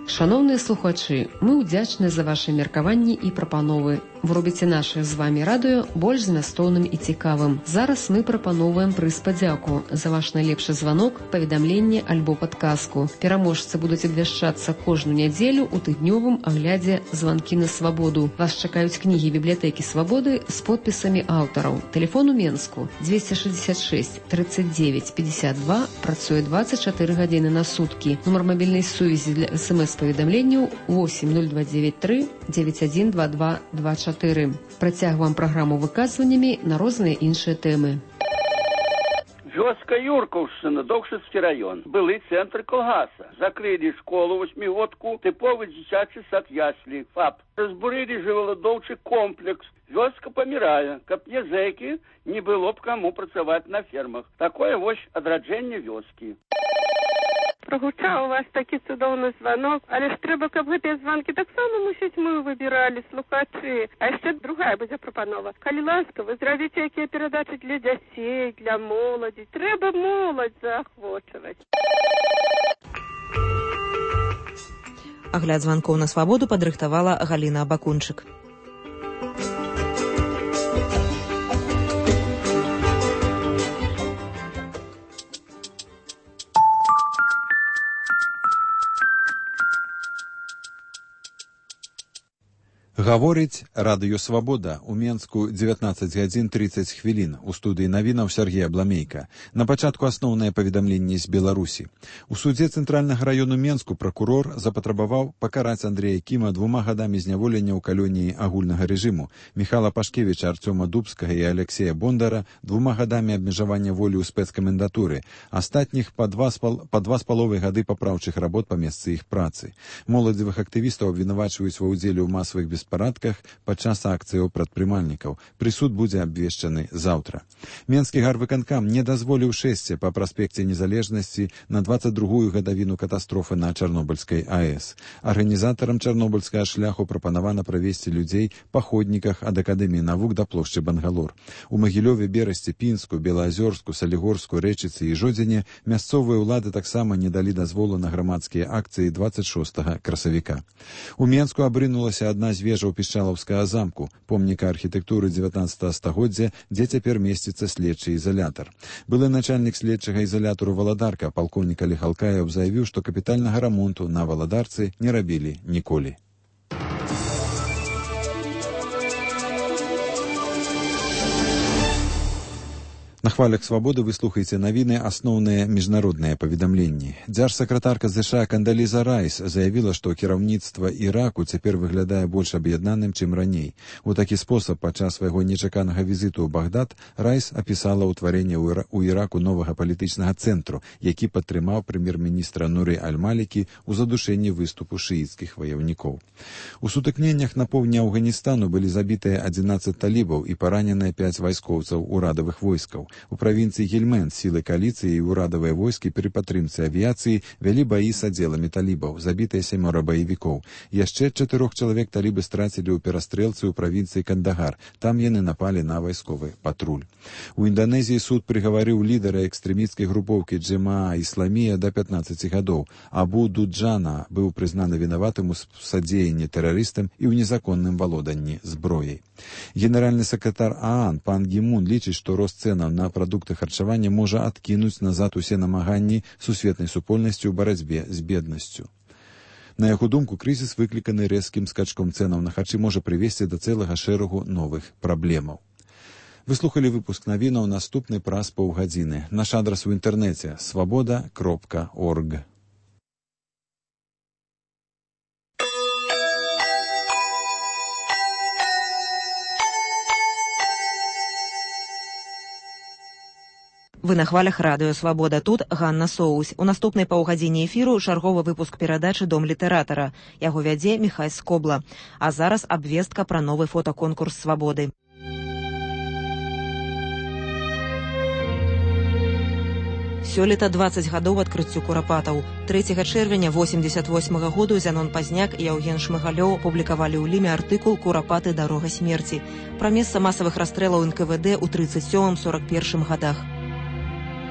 Шановныя слухачы, мы ўдзячны за вашы меркаванні і прапановы. Вы робіце наше з вамі радыё больш змястоўным і цікавым. Зараз мы прапаноўваем прыз падзяку за ваш найлепшы званок, паведамленне альбо падказку. Пераможцы будуць абвяшчацца кожную нядзелю ў тыднёвым аглядзе «Званкі на свабоду». Вас чакаюць кнігі бібліятэкі свабоды з подпісамі аўтараў. Тэлефон у Менску двести шестьдесят шесть тридцать девять пятьдесят два, працуе двадцать четыре гадзіны на суткі. Нумар мабільнай сувязі для эс эм эс паведамленняў восемь ноль два девять три девять один два два два четыре. чатыры. Працягваем праграму выказваннямі на розныя іншыя тэмы. Вёска Юркаўшчына, Доўшыцкі раён. Былы цэнтр калгаса. Закрылі школу восьмігодку, тыповы дзіцячы сад яслі, ФАП. Разбурылі жывёладоўчы комплекс. Вёска памірае, каб не зэкі, не было б каму працаваць на фермах. Такое вось адраджэнне вёскі. Прогучаў у вас такі цудоўны званок, але ж трэба, каб гэтыя званкі таксама, мусіць, мы выбіралі, слухачы. А яшчэ другая будзе прапанова. Калі ласка, вы зрабіце якія перадачы для дзяцей, для моладзі. Трэба моладзь заахвочваць. Агляд званкоў на свабоду падрыхтавала Галіна Абакунчык. Гаворыць радыё «Свабода». У Менску дзевятнаццаць гадзін трыццаць хвілін. У студыі навінаў Сергей Абламейка. На пачатку асноўнае паведамленне з Беларусі. У судзе Цэнтральнага раёну Менску пракурор запатрабаваў пакараць Андрэя Кіма двума гадамі зняволення ў калоніі агульнага рэжыму, Міхала Пашкевіча, Арцёма Дубскага і Алексея Бондара двума гадамі абмежавання волі ў спецкамендатуры, астатніх па два з паловай гады папраўчых работ па месцы іх працы. Моладзевых актывістаў абвінавачваюць ва ўдзеле ў масавых беспарадках парадках падчас акцыяў прадпрымальнікаў. Прысуд будзе абвешчаны заўтра. Менскі гарвыканкам не дазволіў шэсце па праспекце Незалежнасці на дваццаць другую гадавіну катастрофы на Чарнобыльскай АЭС. Арганізатарам чарнобыльскага шляху прапанавана правесці людзей па ходніках ад Акадэміі навук да плошчы Бангалор. У Магілёве, Берасці, Пінску, Белаазёрску, Салігорску, Рэчыцы і Жодзіне мясцовыя ўлады таксама не далі дазволу на грамадскія акцыі дваццаць шостага красавіка. У Менску абрынулася адна з вежаў Пішчалаўскага замку, помніка архітэктуры дзевятнаццатага стагоддзя, дзе цяпер месціцца следчы ізалятар. Былы начальнік следчага ізалятару Валадарка, палкоўнік Алег Алкаев, заявіў, што капітальнага рамонту на Валадарцы не рабілі ніколі. На хвалях «Свабоды» вы слухаеце навіны, асноўныя міжнародныя паведамленні. Дзяржсакратарка ЗША Кандаліза Райс заявіла, што кіраўніцтва Іраку цяпер выглядае больш аб'яднаным, чым раней. У такі спосаб падчас свайго нечаканага візіту ў Багдад Райс апісала ўтварэнне ў Іраку новага палітычнага цэнтру, які падтрымаў прэм'ер-міністра Нуры Аль-Малікі ў задушэнні выступу шыіцкіх ваяўнікоў. У сутыкненнях на поўдні Афганістану былі забітыя адзінаццаць талібаў і параненыя пяць вайскоўцаў урадавых войскаў. У правінцыі Гельмэнд сілы кааліцыі і ўрадавыя войскі пры падтрымцы авіяцыі вялі баі з аддзеламі талібаў, забітыя сямёра баевікоў. Яшчэ чатырох чалавек талібы страцілі ў перастрэлцы ў правінцыі Кандагар. Там яны напалі на вайсковы патруль. У Інданезіі суд прыгаварыў лідара экстрэмісцкай групоўкі Джемаа Ісламія да пятнаццаці гадоў. Абу Дуджана быў прызнаны вінаватым у садзеянні тэрарыстам і ў незаконным валоданні зброяй. Генеральны сакратар ААН пан Гімун лічыць, што рост цэнаў на прадукты харчавання можа адкінуць назад усе намаганні сусветнай супольнасці ў барацьбе з беднасцю. На яго думку, крызіс, выкліканы рэзкім скачком цэнаў на харчы, можа прывесці да цэлага шэрагу новых праблемаў. Вы слухалі выпуск навінаў, наступны праз паўгадзіны. Наш адрас у інтэрнэце свабода кропка орг. Вы на хвалях радыё «Свабода». Тут Ганна Соусь. У наступнай паўгадзіне эфіру чарговы выпуск перадачы «Дом літаратара». Яго вядзе Міхай Скобла. А зараз абвестка пра новы фотаконкурс «Свабоды». Сёлета дваццаць гадоў адкрыццю курапатаў. трэцяга чэрвеня восемьдесят восьмага году Зянон Пазняк і Яўген Шмыгалёў публікавалі ў ліме артыкул «Курапаты. Дарога смерці» пра месца масавых расстрэлаў эн ка вэ дэ ў трыццаць сёмым — сорак першым гадах.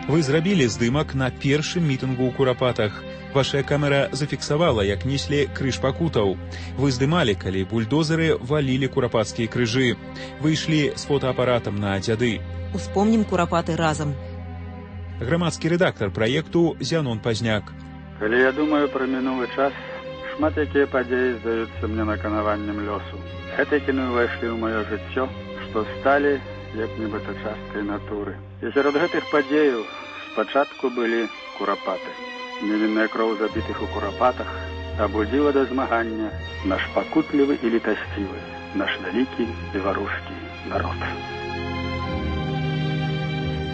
Вы зрабілі здымак на першым мітынгу ў Курапатах. Ваша камера зафіксавала, як неслі крыж пакутаў. Вы здымалі, калі бульдозеры валілі курапацкія крыжы. Вы ішлі з фотоапаратам на дзяды. Успомнім Курапаты разам. Грамадскі рэдактар праекту Зянон Пазняк. Калі я думаю пра мінулы час, шмат якія падзеі здаюцца мне наканаваннем лёсу. Гэтыя кіны ўвайшлі ў маё жыццё, што сталі як нібыта часткай натуры. І сярод гэтых падзеяў спачатку былі курапаты. Невінная кроў забітых у курапатах, абудзіла да змагання наш пакутлівы і літасцівы, наш вялікі беларускі народ.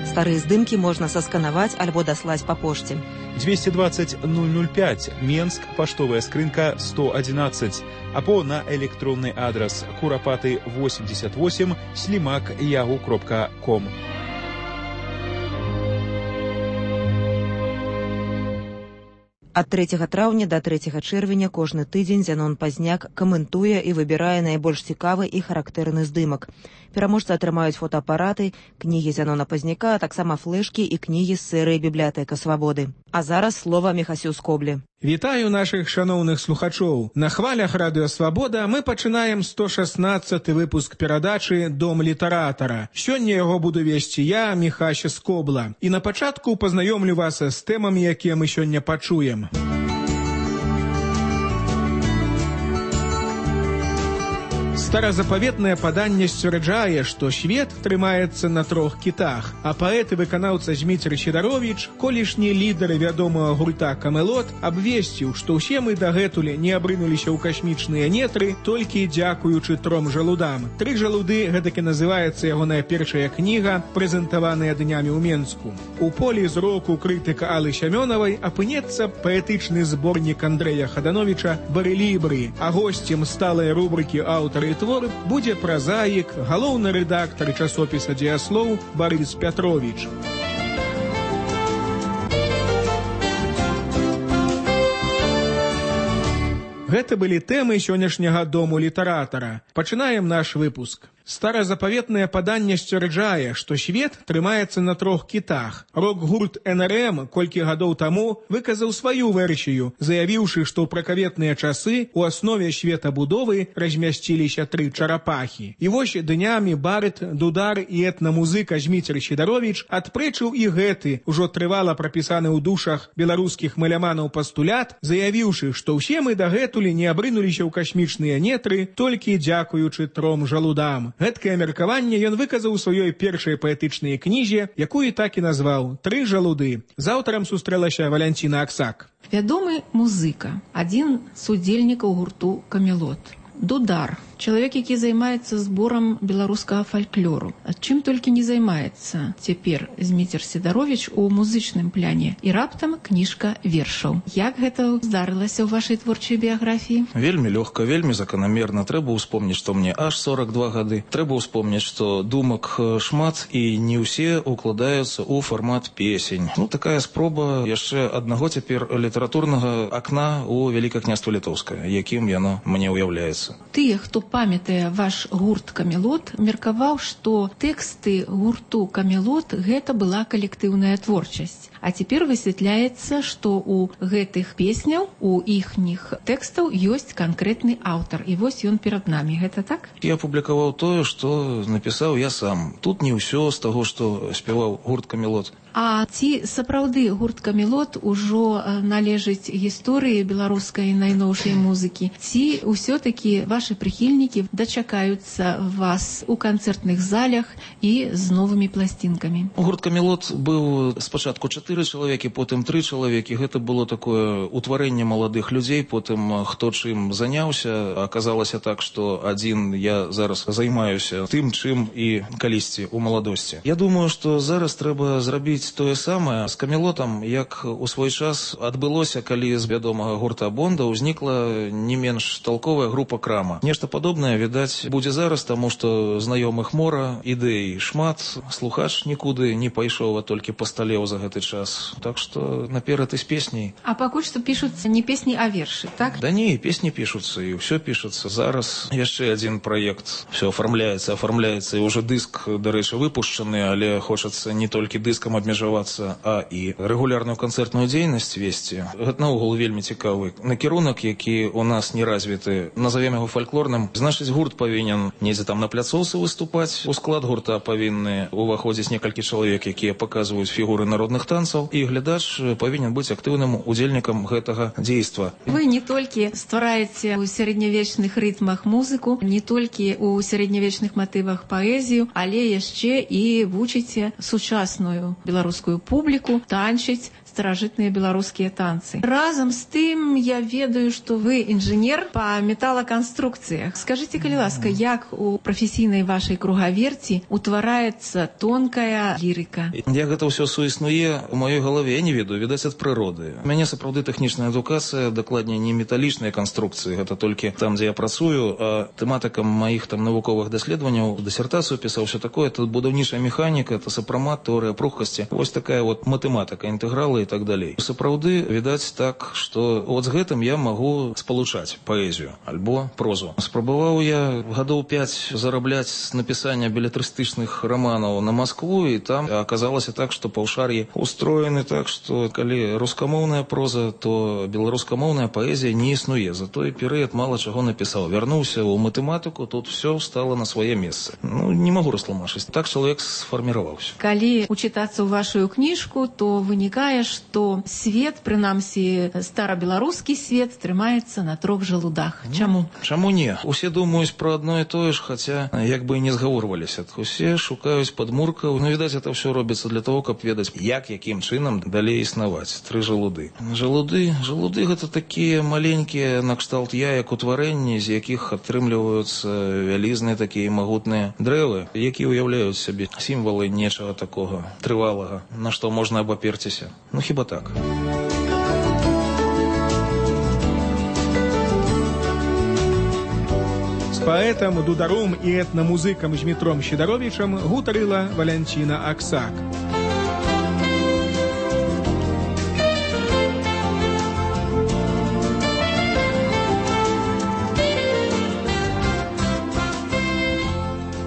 Старые здымкі можна сасканаваць альбо даслаць па пошце. двести двадцать ноль ноль пять, Менск, поштовая скрынка сто одиннадцать, або на электронный адрес курапаты восемьдесят восемь слимак ягу кропка ком. Ад трэцяга траўня да трэцяга чэрвеня кожны тыдзень Зянон Пазняк каментуе і выбірае найбольш цікавы і характэрны здымак. Пераможцы атрымаюць фотоапараты, кнігі Зянона Пазняка, а таксама флэшкі і кнігі з серыі «Бібліятэка свабоды». А зараз слова Міхасю Скоблі. Вітаю нашых шаноўных слухачоў. На хвалях радыё «Свабода» мы пачынаем сто шаснаццаты выпуск перадачы «Дом літаратара». Сёння яго буду весці я, Міхася Скобла. І на пачатку пазнаёмлю вас з тэмамі, якія мы сёння пачуем. Старазапаветнае паданне сцвярджае, што свет трымаецца на трох кітах, а паэт і выканаўца Зміцер Сідаровіч, колішні лідары вядомага гурта «Камелот», абвесціў, што ўсе мы дагэтуль не абрынуліся ў касмічныя нетры толькі дзякуючы тром жалудам. «Тры жалуды» гэтакі называецца ягоная першая кніга, прэзентаваная днямі ў Менску. У полі зроку крытыка Аллы Сямёнавай апынецца паэтычны зборнік Андрэя Хадановіча «Барэлібры», а госцем сталай рубрыкі «Аўтары твор» будзе празаік, галоўны рэдактар часопіса «Дзеяслоў» Барыс Пятровіч. Гэта былі тэмы сённяшняга дому літаратара. Пачынаем наш выпуск. Старазапаветнае паданне сцвярджае, што свет трымаецца на трох кітах. Рок-гурт эн эр эм колькі гадоў таму выказаў сваю версію, заявіўшы, што ў пракаветныя часы ў аснове светабудовы размясціліся тры чарапахі. І вось днямі барыт, дудар і этнамузыка Зміцер Сідаровіч адпрэчыў і гэты, ужо трывала прапісаны ў душах беларускіх маляманаў пастулят, заявіўшы, што ўсе мы дагэтуль не абрынуліся ў касмічныя нетры толькі дзякуючы тром жалудам. Гэткае меркаванне ён выказаў у сваёй першай паэтычнай кнізе, якую так і назваў «Тры жалуды». З аўтарам сустрэлася Валянціна Аксак. Вядомы музыка, адзін з удзельнікаў гурту «Камелот». Дудар. Чалавек, які займаецца зборам беларускага фальклору. Чым толькі не займаецца цяпер Зміцер Сідаровіч у музычным пляне. І раптам кніжка вершаў. Як гэта здарылася ў вашай творчай біяграфіі? Вельмі лёгка, вельмі заканамерна. Трэба ўспомніць, што мне аж сорок два гады. Трэба ўспомніць, што думак шмат і не ўсе укладаюцца ў фармат песень. Ну, такая спроба яшчэ аднаго цяпер літаратурнага акна ў Вялікае княства Літоўскае, якім яно мне ўяўляецца. Тыя, хто памятае ваш гурт «Камелот», меркаваў, што тэксты гурту «Камелот» гэта была калектыўная творчасць. А цяпер высвятляецца, што ў гэтых песняў, у іхніх тэкстаў ёсць канкрэтны аўтар. І вось ён перад намі. Гэта так? Я публікаваў тое, што напісаў я сам. Тут не ўсё з таго, што спяваў гурт «Камелот». А ці сапраўды гурт «Камелот» ужо належыць гісторыі беларускай найноўшай музыкі? Ці ўсё-такі вашы прыхільнікі дачакаюцца вас у канцэртных залях і з новымі пласцінкамі? Гурт «Камелот» быў спачатку чатыры чалавекі, потым тры чалавекі. Гэта было такое утварэнне маладых людзей, потым хто чым заняўся. Аказалася так, што адзін я зараз займаюся тым, чым і калісьці ў маладосці. Я думаю, што зараз трэба зрабіць тое самае з «Камелотам», як у свой час адбылося, калі з вядомага гурта «Бонда» ўзнікла не менш талковая група «Крама». Нешта падобнае, відаць, будзе зараз, таму што знаёмых мора, ідэй шмат, слухач нікуды не пайшоў, а толькі пасталеў за гэты час. Так што наперад і з песняй. А пакуль што пішуцца не песні, а вершы, так? Да не, песні пішуцца, і ўсё пішуцца. Зараз яшчэ адзін праект. Все афармляецца, афармляецца, і ўжо дыск, дарэчы, выпушчаны, але хочацца не толькі дыскам абмежавацца, а і рэгулярную канцэртную дзейнасць весці. Гэта наогул вельмі цікавы накірунак, які у нас не развіты. Назовем яго фальклорным. Значыць, гурт павінен недзе там на пляцоўцы выступаць. У склад гурта павінны уваходзіць некалькі чалавек, якія паказваюць фігуры народных танцаў, і глядач павінен быць актыўным удзельнікам гэтага дзейства. Вы не толькі ствараеце ў сярэднявечных рытмах музыку, не толькі ў сярэднявечных матывах паэзію, але яшчэ і вучыце сучасную беларускую публіку танчыць старажытныя беларускія танцы. Разам з тым я ведаю, што вы інжынер па металаканструкцыях. Скажыце, калі ласка, як у прафесійнай вашай кругаверці утвараецца тонкая лірыка? Як гэта ўсё суіснуе у маёй галаве, я не ведаю, відаць ад прыроды. У мяне сапраўды тэхнічная адукацыя, дакладней не металічныя канструкцыі, гэта толькі там, дзе я працую, а тэматыкам маіх там навуковых даследаванняў, дысертацыю пісаў, все такое, это будаўнічая механіка, это сапрамат, тэорыя пругкасці. Вось такая вот матэматыка, інтэгралы і так далей. Сапраўды, відаць так, што от з гэтым я магу спалучаць паэзію альбо прозу. Спрабаваў я гадоў пяць зарабляць з напісання белетрыстычных раманаў на Маскву, і там аказалася так, што паўшар'і устроены так, што калі рускамоўная проза, то беларускамоўная паэзія не існуе. За той перыяд мала чаго напісаў. Вярнуўся ў матэматыку, тут все стало на свае месцы. Ну, не магу растлумачыць. Так чалавек сфарміраваўся. Калі учытацца ў вашу кніжку, то вынікае, што свет, прынамсі старабеларускі свет, трымаецца на трох жалудах. Чаму? Чаму не? Усе думаюць пра адно і тое ж, хаця як бы і не згаворваліся. Усе шукаюць падмуркаў. Ну, відаць, это все робіцца для того, каб ведаць, як, якім чынам далей існаваць. Тры жалуды. Жалуды, жалуды гэта такія маленькія накшталт яек утварэнні, з якіх атрымліваюцца вялізныя такія магутныя дрэвы, якія ўяўляюць сабе сімвалы нечага такога трывалага, на што можна абаперціся. Ну, хіба так. З паэтам, дударом і этнамузыкам Змітром Сідаровічам гутарыла Валянціна Аксак.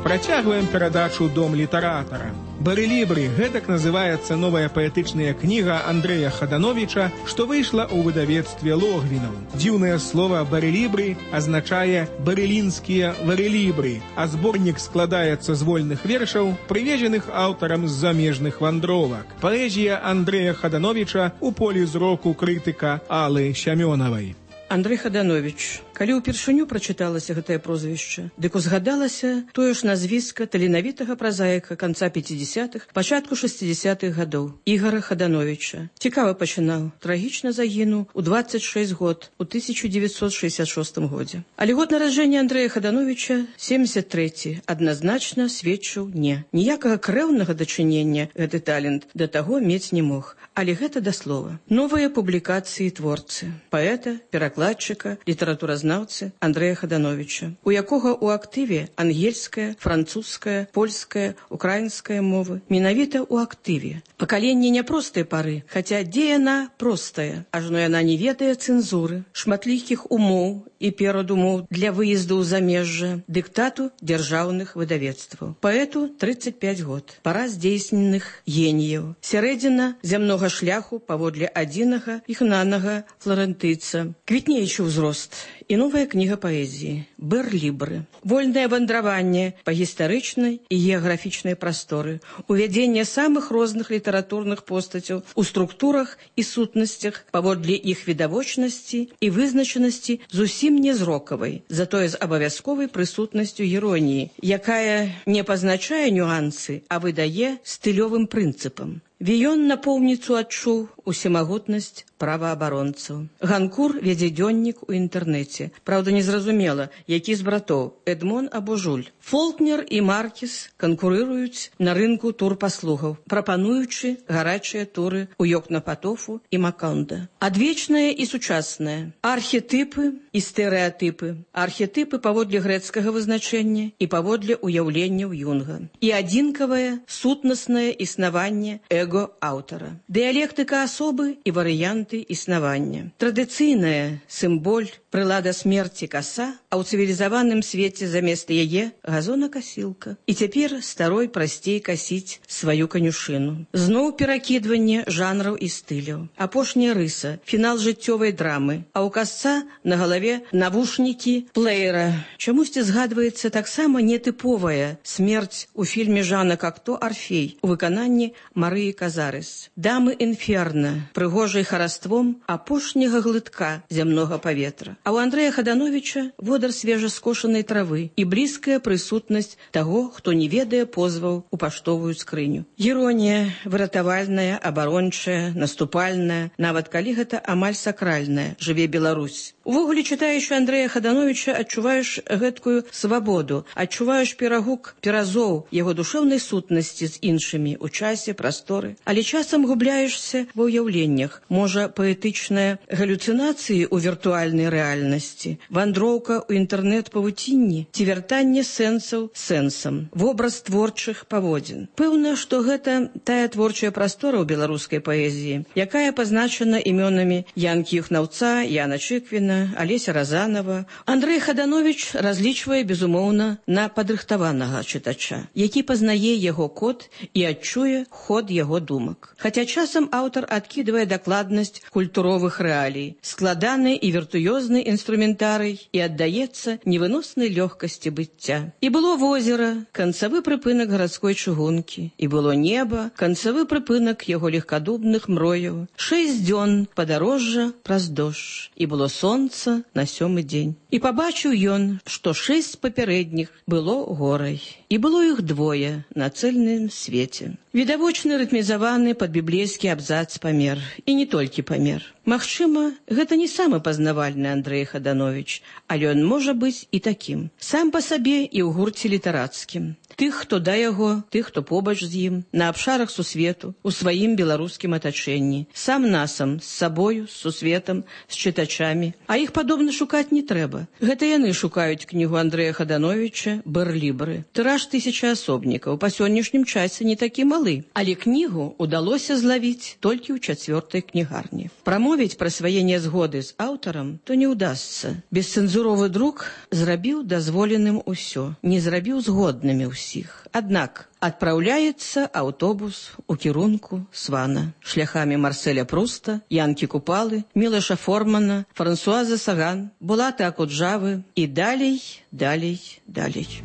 Працягваем перадачу «Дом літаратара». «Барэлібры» – гэтак называецца новая паэтычная кніга Андрэя Хадановіча, што выйшла ў выдавецтве Логвінаў. Дзіўнае слова «барэлібры» азначае «барэлінскія варэлібры», а зборнік складаецца з вольных вершаў, прывезеных аўтарам з замежных вандровак. Паэзія Андрэя Хадановіча ў полі зроку крытыка Аллы Сямёнавай. Андрэй Хаданович, калі ўпершыню прачыталася гэтае прозвішча, дык узгадалася тое ж назвіска таленавітага празаіка канца пяцідзясятых, пачатку шэсцідзясятых гадоў, Ігара Хадановіча. Цікава пачынаў, трагічна загінуў у дваццаць шэсць год, у тысяча дзевяцьсот шэсцьдзясят шостым годзе. Але год нараджэння Андрэя Хадановіча, семдзесят трэці, адназначна сведчыў не. Ніякага крэўнага дачынення гэты талент да таго мець не мог. Але гэта да слова. Новыя публікацыі творцы, паэта, перакладчыка, літаратуразнаўцы Андрэя Хадановіча, у якога ў актыве ангельская, французская, польская, украінская мовы. Менавіта ў актыве. Пакаленне няпростай пары, хаця дзе яна простая, ажно яна не ведае цэнзуры, шматлікіх умоў і перадумоў для выезду ў замежжа, дыктату дзяржаўных выдавецтваў. Паэту тридцать пять год. Пара здзейсненых геніяў. Сярэдзіна зямнога шляху паводле адзінага ігнанага фларэнтыйца. Квітнеючы ўзрост і новая кніга паэзіі «Барлібры». Вольнае вандраванне па гістарычнай і геаграфічнай прасторы, увядзенне самых розных літаратурных постацяў у структурах і сутнасцях паводле іх відавочнасці і вызначанасці зусім не зрокавай, затое з абавязковай прысутнасцю іроніі, якая не пазначае нюансы, а выдае стылёвым прынцыпам. Віён напоўніцу адчуў усемагутнасць праваабаронцаў. Ганкур вядзе дзённік у інтэрнэце. Праўда, незразумела, які з братоў, Эдмон або Жуль. Фолкнер і Маркіс канкурыруюць на рынку турпаслугаў, прапануючы гарачыя туры ў Йокнапатофу і Макондо. Адвечнае і сучаснае. Архетыпы і стэрэатыпы. Архетыпы паводле грэцкага вызначэння і паводле ўяўленняў Юнга. І адзінкавае сутнаснае існаванне эго аўтара. Дыялектыка асобы і варыянты існавання. Традыцыйная сімболь, прылада смерці каса, а ў цывілізаваным свеце замест яе газонакасілка. І цяпер старой прасцей касіць сваю канюшыну. Зноў перакідванне жанраў і стыляў. Апошняя рыса, фінал жыццёвай драмы, а ў касца на галаве навушнікі плеера. Чамусьці згадваецца таксама нетыповая смерць у фільме Жана Кокто «Арфей» у выкананні Марыі казарыс. Дамы інферна, прыгожай хараством апошняга глытка зямнога паветра. А ў Андрэя Хадановіча водар свежаскошанай травы і блізкая прысутнасць таго, хто не ведае позваў у паштовую скрыню. Іронія выратавальная, абарончая, наступальная, нават калі гэта амаль сакральная, жыве Беларусь. Увогуле, чытаючы Андрэя Хадановіча, адчуваеш гэткую свабоду, адчуваеш перагук перазоў яго душэўнай сутнасці з іншымі ў часе, прасторы. Але часам губляешся ва ўяўленнях. Можа, паэтычныя галюцынацыі ў віртуальнай рэальнасці, вандроўка ў інтэрнэт-павуцінні ці вяртанне сэнсаў сэнсам, вобраз творчых паводзін. Пэўна, што гэта тая творчая прастора ў беларускай паэзіі, якая пазначана імёнамі Янкі Юхнаўца, Яна Чыквіна, Алеся Разанова. Андрэй Хадановіч разлічвае, безумоўна, на падрыхтаванага чытача, які пазнае яго код і адчуе ход яго думак. Хаця часам аўтар адкідвае дакладнасць культуровых рэалій, складаны і віртуёзны інструментарый і аддаецца невыноснай лёгкасці быцця. І было возера, канцавы прыпынак гарадской чыгункі, і было неба, канцавы прыпынак яго легкадубных мрояў, шэсць дзён падарожжа праз дождж, і было сон на сёмы дзень. І пабачыў ён, што шэсць папярэдніх было горай. І было іх двое на цэльным свеце. Відавочны рытмізаваны пад біблейскі абзац памер. І не толькі памер. Магчыма, гэта не самы пазнавальны Андрэй Хадановіч, але ён можа быць і такім. Сам па сабе і ў гурце літарацкім. Тых, хто да яго, тых, хто побач з ім, на абшарах сусвету, у сваім беларускім атачэнні, сам насам, з сабою, з сусветам, з чытачамі. А іх падобна шукаць не трэба. Гэта яны шукаюць кнігу Андрэя Хадановіча «Бэрлібры». Тыраж тысяча асобнікаў, па сённяшнім часе не такі малы. Але кнігу удалося злавіць толькі ў чацвёртай кнігарні. Прамовіць пра свае нязгоды з аўтарам то не ўдасца. Бесцэнзуровы друк зрабіў дазволеным усё, не зрабіў згоднымі ўсіх. Аднак адпраўляецца аўтобус у кірунку Свана шляхамі Марселя Пруста, Янкі Купалы, Мілаша Формана, Франсуаза Саган, Булата Акуджавы і далей, далей, далей.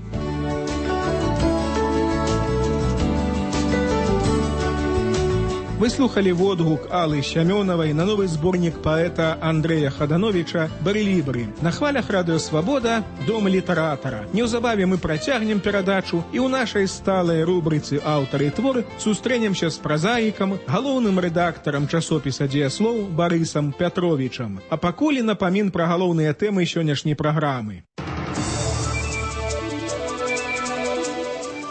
Вы слухали водгук Аллы Сямёнавай на новы зборнік паэта Андрэя Хадановіча «Бэрлібры». На хвалях радыё «Свабода» дом літаратара. Неўзабаве мы працягнем перадачу і ў нашай сталай рубрыцы «Аўтары і творы» сустрэнемся з празаікам, галоўным рэдактарам часопіса «Дзеяслоў» Барысам Пятровічам. А пакуль напамін пра галоўныя тэмы сённяшняй праграмы.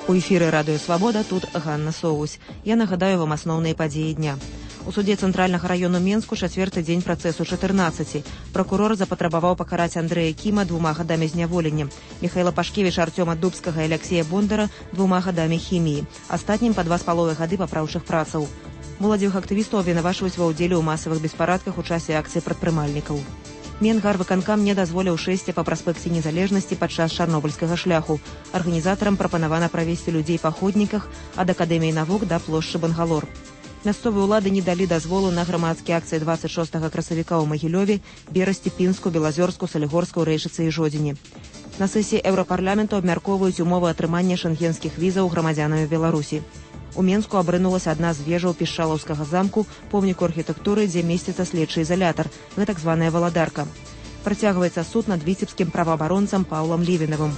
У эфіры радыё «Свабода», тут Ганна Соусь. Я нагадаю вам асноўныя падзеі дня. У суде цэнтральнага раёну Менску чацвёрты дзень працэсу чатырнаццаці. Пракурор запатрабаваў пакараць Андрэя Кіма двума гадамі зняволення, Міхаіла Пашкевіча, Артёма Дубскага і Аляксея Бондара двума гадамі хіміі, астатнім па два з паловай гады папраўчых працаў. Моладзевых актывістаў абвінавачваюць ва ўдзеле ў масавых беспарадках у часе акцыі прадпрымальнікаў. Менгарвыканкам не дазволіў шэсці па праспекце незалежнасці падчас чарнобыльскага шляху. Арганізатарам прапанавана правесці людзей па ходніках ад Акадэміі навук да плошчы Бангалор. Мясцовыя ўлады не далі дазволу на грамадскія акцыі дваццаць шостага красавіка ў Магілёве, Берасці, Пінску, Белазёрску, Салігорску, Рэйшыцы і Жодзіне. На сесіі Еўрапарламенту абмяркоўваюць умовы атрымання шэнгенскіх візаў грамадзянамі Беларусі. У Менску абрынулася адна з вежаў Пішчалаўскага замку, помніку архітэктуры, дзе месціцца следчы ізалятар, гэтак званая валадарка. Працягваецца суд над віцебскім праваабаронцам Паўлам Лівінавым.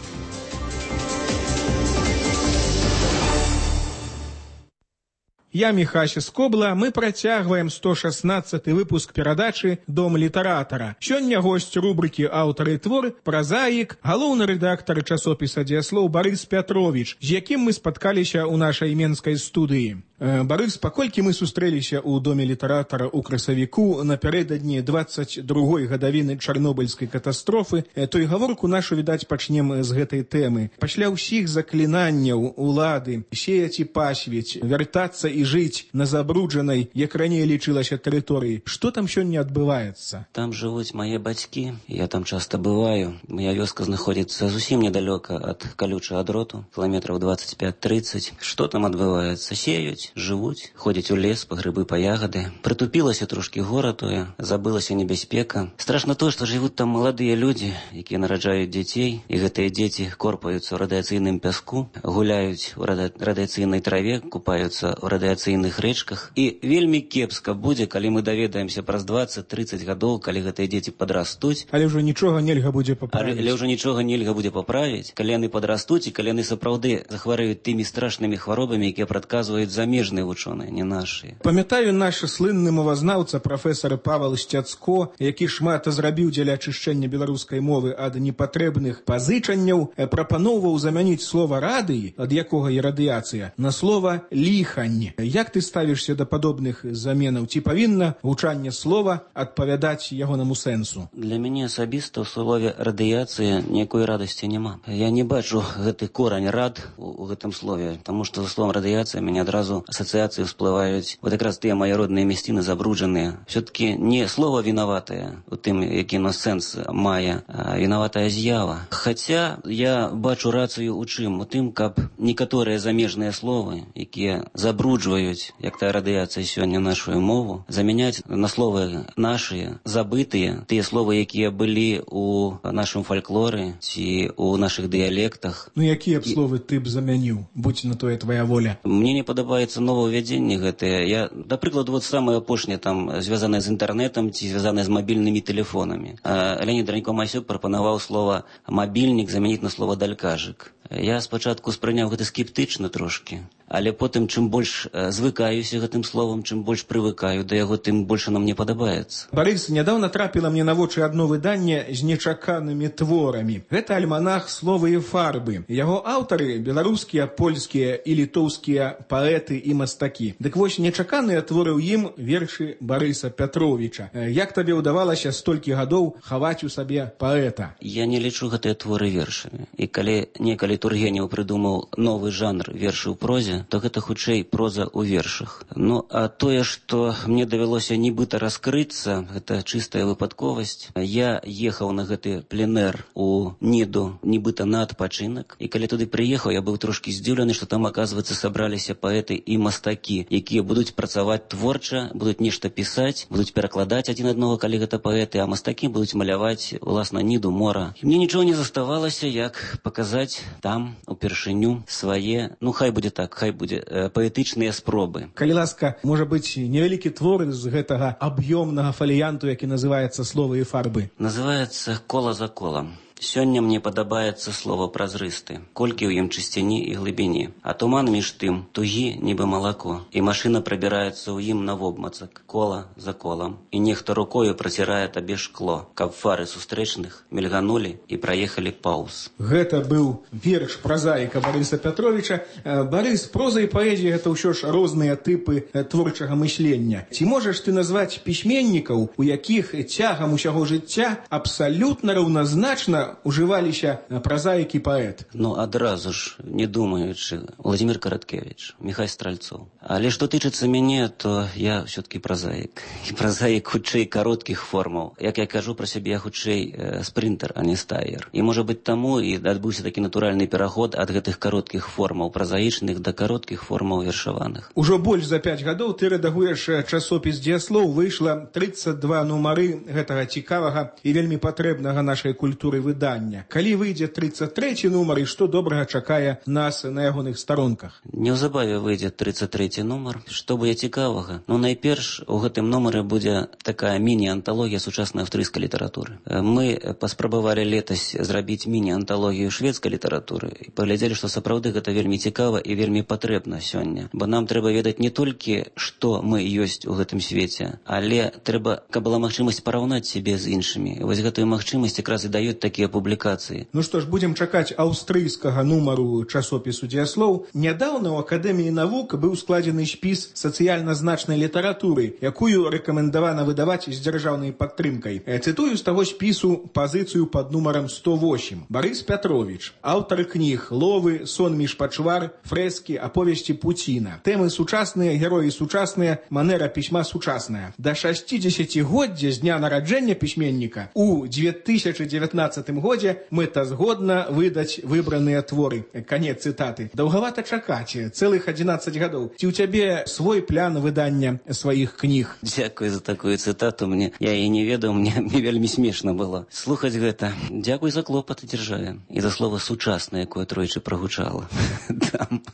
Я Міхася Скобла, мы працягваем сто шаснаццаты выпуск перадачы «Дом літаратара». Сёння госць рубрыкі «Аўтары і творы» празаік, галоўны рэдактар часопіса «Дзеяслоў» Барыс Пятровіч, з якім мы спаткаліся ў нашай менскай студыі. Барыс, паколькі мы сустрэліся ў доме літаратара ў красавіку напярэдадні дваццаць другой гадавіны чарнобыльскай катастрофы, то і гаворку нашу, відаць, пачнем з гэтай тэмы. Пасля ўсіх заклінанняў улады сеяць і пасвіць, вяртацца і жыць на забруджанай, як раней лічылася, тэрыторыі. Што там сёння адбываецца? Там жывуць мае бацькі, я там часта бываю. Моя вёска знаходзіцца зусім недалёка ад калючага дроту, кіламетраў дваццаць пяць трыццаць. Што там адбываецца? Сеюць. жыць, жывуць, ходзяць у лес па грыбы, па ягады. Прытупілася трошкі гора тое, забылася небяспека. Страшна тое, што жывуць там маладыя людзі, якія нараджаюць дзяцей, і гэтыя дзеці корпаюцца ў радыяцыйным пяску, гуляюць у рада... радыяцыйнай траве, купаюцца ў радыяцыйных рэчках. І вельмі кепска будзе, калі мы даведаемся праз дваццаць-трыццаць гадоў, калі гэтыя дзеці падрастуць. Але ўжо нічога нельга будзе паправіць. Але, але ўжо нічога нельга будзе паправіць, калі яны падрастуць і калі яны сапраўды захварэюць тымі страшнымі хваробамі, якія прадказваюць замежныя вучоныя, не нашыя. Памятаю наш слынны мовазнаўца прафесар Павел Сцяцко, які шмат зрабіў дзеля ачышчэння беларускай мовы ад непатрэбных пазычанняў, прапаноўваў замяніць слова радый, ад якога і радыяцыя, на слова ліхань. Як ты ставішся да падобных заменаў? Ці павінна гучанне слова адпавядаць ягонаму сэнсу? Для мяне асабіста ў слове радыяцыя ніякой радасці няма. Я не бачу гэты корань рад у, у гэтым слове, таму што за словом радыяцыя мяне адразу асацыяцыі всплываюць вот якраз тыя мае родныя мясціны забруджаныя. Все-таки не слово вінаватае у тым, які на сэнс мае, а вінаватая з'ява. Хаця я бачу рацыю у чым? У тым, каб некаторыя замежныя словы, якія забруджваюць, як тая радыяцыя сёння нашу мову, замяняць на словы нашыя, забытыя, тыя словы, якія былі у нашым фальклоры ці у нашых дыялектах. Ну якія б словы ты б замяніў, будь на тое твоя воля? Мне не падабаецца новаўвядзенне гэтае. Я, да прыкладу, вот самае апошняе там звязанае з інтэрнетам ці звязанае з мабільнымі тэлефонамі. Леонід Ранько-Масюк прапанаваў слова мабільнік замяніць на слова далькажык. Я спачатку спрыняў гэта скептычна трошкі, але потым, чым больш звыкаюся гэтым словам, чым больш прывыкаю да яго, тым больш нам не падабаецца. Барыс, нядаўна трапіла мне на вочы адно выданне з нечаканымі творамі. Гэта альманах «Словы і фарбы». Яго аўтары – беларускія, польскія і літоўскія паэты і мастакі. Дык вось нечаканыя творы ў ім вершы Барыса Пятровіча. Як табе ўдавалася столькі гадоў хаваць у сабе паэта? Я не лічу гэтыя творы вершамі. І калі некалі Тургенеў прыдумаў новы жанр вершы ў прозе, то гэта хутчэй проза ў вершах. Ну, а тое, што мне давялося нібыта раскрыцца, гэта чыстая выпадковасць. Я ехаў на гэты пленэр у Ніду, нібыта на адпачынак, і калі туды прыехаў, я быў трошкі здзіўлены, што там, аказваецца, сабраліся паэты і мастакі, якія будуць працаваць творча, будуць нешта пісаць, будуць перакладаць адзін аднаго, калі гэта паэты, а мастакі будуць маляваць, уласна, Ніду, мора. І мне нічого не заставалася, як паказаць там упершыню свае, ну хай будзе так, хай будзе э, паэтычныя спробы. Калі ласка, можа быць невялікі твор з гэтага аб'ёмнага фаліянту, які называецца «Словы і фарбы». Называецца «Кола за колам». Сёння мне падабаецца слова празрысты, колькі ў ім чысціні і глыбіні, а туман між тым тугі, нібы малако, і машына прабіраецца ў ім навобмацак, кола за колам, і нехта рукою працірае табе шкло, каб фары сустрэчных мільганулі і праехалі паўз. Гэта быў верш празаіка Барыса Пятровіча. Барыс, проза і паэзія – гэта ўсё ж розныя тыпы творчага мыслення. Ці можаш ты назваць пісьменнікаў, у якіх цягам усяго жыцця абсалютна раўназначна ужываліся празаік і паэт? Ну, адразу ж, не думаючы, Владимир Караткевич, Михай Стральцов. Але што тычыцца мяне, то я все-таки празаік. І празаік хутчэй кароткіх формаў. Як я кажу пра сябе, я хутчэй э, спринтер, а не стаер. І, можа быць, таму і адбыўся такі натуральны пераход ад гэтых кароткіх формаў празаічных да кароткіх формаў вершаваных. Ужо больш за пяць гадоў ты рэдагуеш часопіс «Дзеяслоў». Выйшла трыццаць два нумары гэтага цікавага і вельмі патрэбнага нашай культуры выдання. Калі выйдзе трыццаць трэці нумар, і што добрага чакае нас на ягоных старонках? Неўзабаве выйдзе трыццаць трэці нумар. Што будзе цікавага? Ну, найперш, у гэтым нумары будзе такая міні-анталогія сучаснай аўстрыйскай літаратуры. Мы паспрабавалі летась зрабіць міні-анталогію шведскай літаратуры і паглядзелі, што сапраўды гэта вельмі цікава і вельмі патрэбна сёння. Бо нам трэба ведаць не толькі, што мы ёсць у гэтым свеце, але трэба, каб была магчымасць параўнаць сябе з іншымі. І вось гэтую магчымасць якраз і даюць такія публікацыі. Ну што ж, будзем чакаць аўстрыйскага нумару часопісу «Дзеяслоў». Нядаўна ў Акадэміі навук быў складзены спіс сацыяльна значнай літаратуры, якую рэкамендавана выдаваць з дзяржаўнай падтрымкай. Цытую з таго спісу пазіцыю пад нумарам сто восемь. Барыс Пятровіч, аўтар кніг «Ловы», «Сон між пачвар», «Фрэскі», «Аповесці Пуціна». Тэмы сучасныя, героі сучасныя, манера пісьма сучасная. Да шасцідзесяцігоддзя з дня нараджэння пісьменніка у две тысячы дзевятнаццатым двадцатым годзе мэтазгодна выдаць выбраныя творы. Канец цытаты. Даўгавата чакаць цэлых адзінаццаць гадоў. Ці ў цябе свой план выдання сваіх кніг? Дзякуй за такую цытату. Мне я і не ведаў, мне, мне вельмі смешна было слухаць гэта. Дзякуй за клопат дзяржаве і за слова сучасна, якое тройчы прагучала.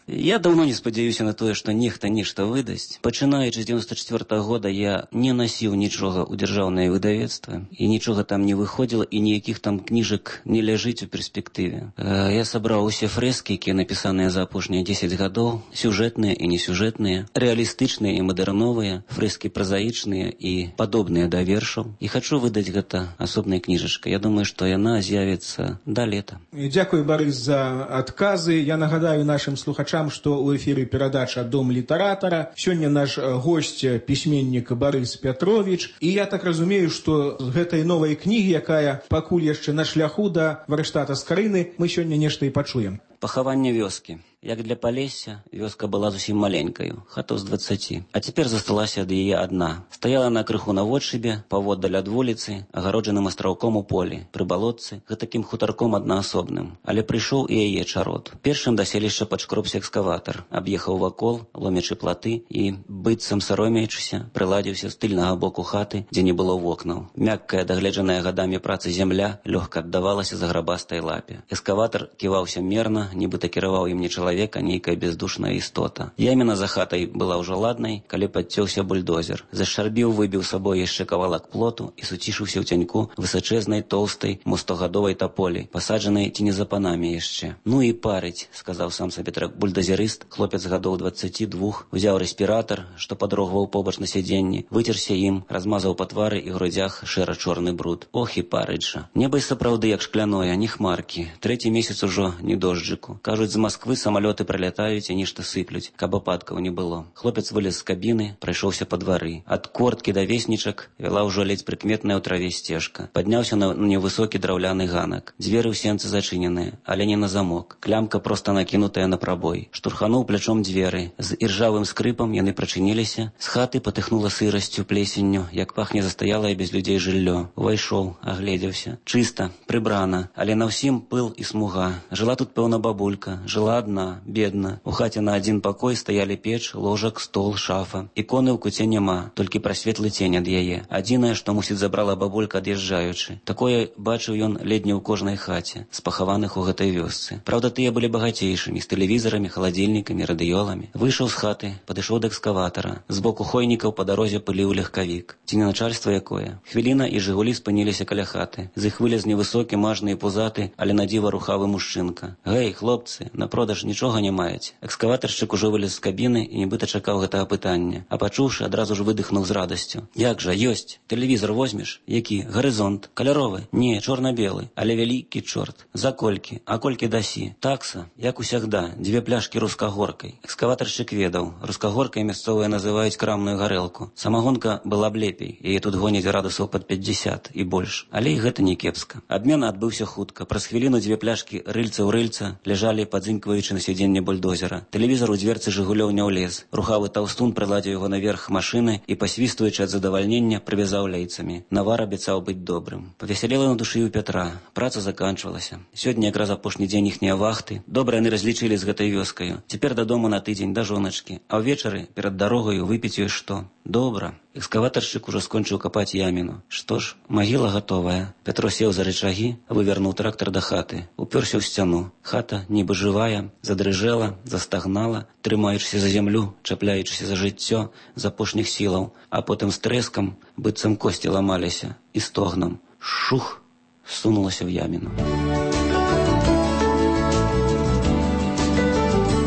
Я даўно не спадзяюся на тое, што нехта нешта выдасць. Пачынаючы з дзевяносто четвёртого года я не насіў нічога ў дзяржаўнае выдавецтва і нічога там не выходзіла і ніякіх там кніжак не ляжыць у перспектыве. Я сабраў усе фрэскі, якія напісаныя за апошнія дзесяць гадоў, сюжэтныя і несюжэтныя, рэалістычныя і мадэрновыя, фрэскі празаічныя і падобныя да вершаў. І хачу выдаць гэта асобнай кніжачкай. Я думаю, што яна з'явіцца да лета. Дзякуй, Барыс, за адказы. Я нагадаю нашим слухачам, што ў эфіры перадача «Дом літаратара». Сёння наш госць пісьменнік Барыс Пятрович. І я так разумею, што з гэтай новай кнігі, якая пакуль яшчэ на шляху да варштата Скарыны, мы сёння нешта і пачуем. Пахаванне вёскі. Як для Палесся, вёска была зусім маленькаю, хатаў з дваццаці. А цяпер засталася ад яе адна. Стаяла на крыху наводшыбе, паводдаль ад вуліцы, агароджаным астраўком у полі, пры балотцы, гэтакім хутарком аднаасобным. Але прыйшоў і яе чарод. Першым да селішча падшкробся экскаватар, аб'ехаў вакол, ломячы платы і, быццам саромеючыся, прыладзіўся з тыльнага боку хаты, дзе не было вокнаў. Мяккая, дагледжаная гадамі працы зямля лёгка аддавалася заграбастай лапе. Экскаватар ківаўся мерна, нібыта кіраваў ім не чалавек, а нейкая бездушная істота. Яміна за хатай была ўжо ладнай, калі падцёўся бульдозер. Зашарбіў, выбіў сабой яшчэ кавалак плоту і суцішыўся ў цяньку высачэзнай, тоўстай, мустогадовай таполі, пасаджанай ці не за панамі яшчэ. Ну і парыць, сказаў сам сабе бульдозерыст, хлопец гадоў дваццаці двух, узяў рэспіратар, што падрогваў побач на сядзенні, выцерся ім, размазаў па твары і грудзях шэра-чорны бруд. Ох і парыць жа. Неба і сапраўды як шкляное, не хмаркі. Трэці месяц ужо не дожджыку. Кажуць, з Масквы самалёты прылятаюць і нешта сыплюць, каб ападкаў не было. Хлопец вылез з кабіны, прайшоўся па двары. Ад корткі да веснічак вяла ўжо ледзь прыкметная ў траве сцежка. Падняўся на невысокі драўляны ганак. Дзверы ў сенцы зачыненыя, але не на замок. Клямка проста накінутая на прабой. Штурхануў плячом дзверы. З іржавым скрыпам яны прачыніліся. З хаты патыхнула сырасцю, плесенню, як пахне застаялае без людзей жыллё. Увайшоў, агледзеўся. Чыста, прыбрана, але на ўсім пыл і смуга. Жыла тут, пэўна, бабулька. Жыла адна, бедна. У хаце на адзін пакой стаялі печ, ложак, стол, шафа. Іконы ў куце няма, толькі прасветлы цень ад яе. Адзінае, што, мусіць, забрала бабулька ад'язджаючы. Такое бачыў ён ледзь не ў кожнай хаце, з пахаваных у гэтай вёсцы. Праўда, тыя былі багацейшымі, з тэлевізарамі, халадзільнікамі, радыёламі. Выйшаў з хаты, падышоў да экскаватара. З боку хойнікаў па дарозе пыліў легкавік. Ці не начальства якое? Хвіліна і жыгулі спыніліся каля хаты. З іх вылез невысокі, мажны і пузаты, але на дзіва рухавы мужчынка. Гэй, хлопцы, на продаж нічога не маеце. Экскаватаршчык ужо вылез з кабіны і нібыта чакаў гэтага пытання. А пачуўшы, адразу ж выдыхнуў з радасцю. Як жа, ёсць. Тэлевізор возьмеш? Які? Гарызонт. Каляровы? Не, чорна-белы. Але вялікі чорт. За колькі? А колькі дасі? Такса, як усягда, дзве пляшкі рускагоркай. Экскаватаршчык ведаў. Рускагоркай мясцовыя называюць крамную гарэлку. Самагонка была б лепей. Яе тут гоняць градусаў пад пятьдесят і больш. Але і гэта не кепска. Абмен адбыўся хутка. Праз хвіліну дзве пляшкі рыльца ў рыльца ляжалі падзынькваючы на сядзенне бульдозера. Тэлевізор у дзверцы жыгулёў не ўлез. Рухавы таўстун прыладзіў яго наверх машыны і, пасвістуючы ад задавальнення, прывязаў лейцамі. Навар абяцаў быць добрым. Павесялела на душы ў Пятра. Праца заканчвалася. Сёння якраз апошні дзень іхнія вахты. Добра яны разлічылі з гэтай вёскаю. Цяпер дадому на тыдзень да жоначкі. А ўвечары перад дарогаю выпіць ёй што? Добра. Экскаватаршчык ужо скончыў капаць яміну. Што ж, магіла гатовая. Пятро сеў за рычагі, вывярнуў трактар да хаты. Упёрся ў сцяну. Хата, нібы жывая, задрыжэла, застагнала, трымаючыся за зямлю, чапляючыся за жыццё з апошніх сілаў, а потым з трэскам, быццам косці ламаліся, і стогнам. Шух! Сунулася в яміну.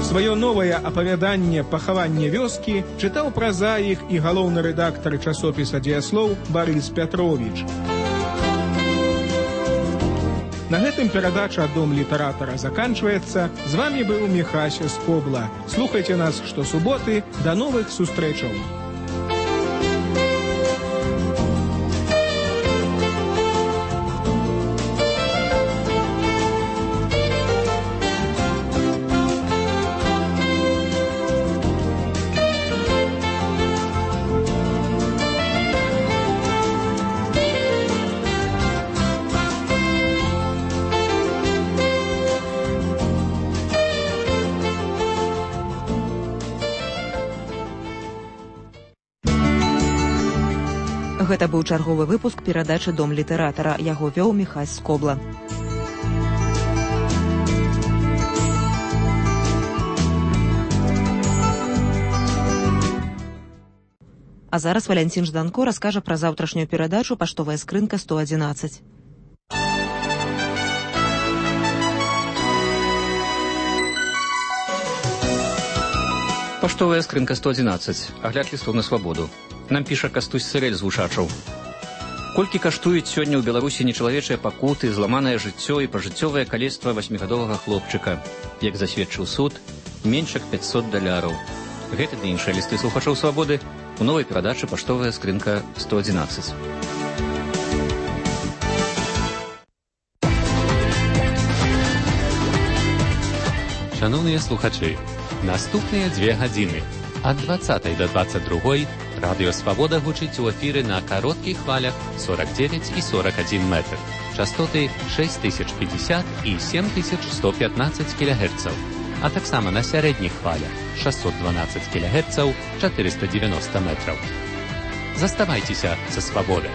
Сваё новае апавяданне «Пахаванне вёскі» чытаў празаік і галоўны рэдактар часопіса «Дзеяслоў» Барыс Пятрович. На гэтым перадача «Дом літаратара» заканчваецца. З вамі быў Міхась Скобла. Слухайце нас штосуботы. Да новых сустрэчаў! Гэта быў чарговы выпуск перадачы «Дом літаратара». Яго вёў Міхась Скобла. А зараз Валянцін Жданко раскажа пра заўтрашнюю перадачу «Паштовая скрынка сто адзінаццаць». Паштовая скрынка сто адзінаццаць. Агляд лістов на свабоду. Нам піша Кастусь Сырэль з Вушачаў. Колькі каштуюць сёння ў Беларусі нечалавечыя пакуты, зламанае жыццё і пажыццёвае калецтва васьмігадовага хлопчыка. Як засведчыў суд, менш як пяцьсот даляраў. Гэты ды іншыя лісты слухачоў свабоды у новай перадачы «Паштовая скрынка сто адзінаццаць». Шановныя слухачы, наступныя дзве гадзіны ад дваццатай да дваццаць другой радыё «Свабода» гучыць у эфіры на кароткіх хвалях сорок девять і сорок один метр, частоты шесть тысяч пятьдесят і семь тысяч сто пятнадцать кілягерцаў, а таксама на сярэдніх хвалях шестьсот двенадцать кілягерцаў, четыреста девяносто метраў. Заставайцеся са «Свабодай».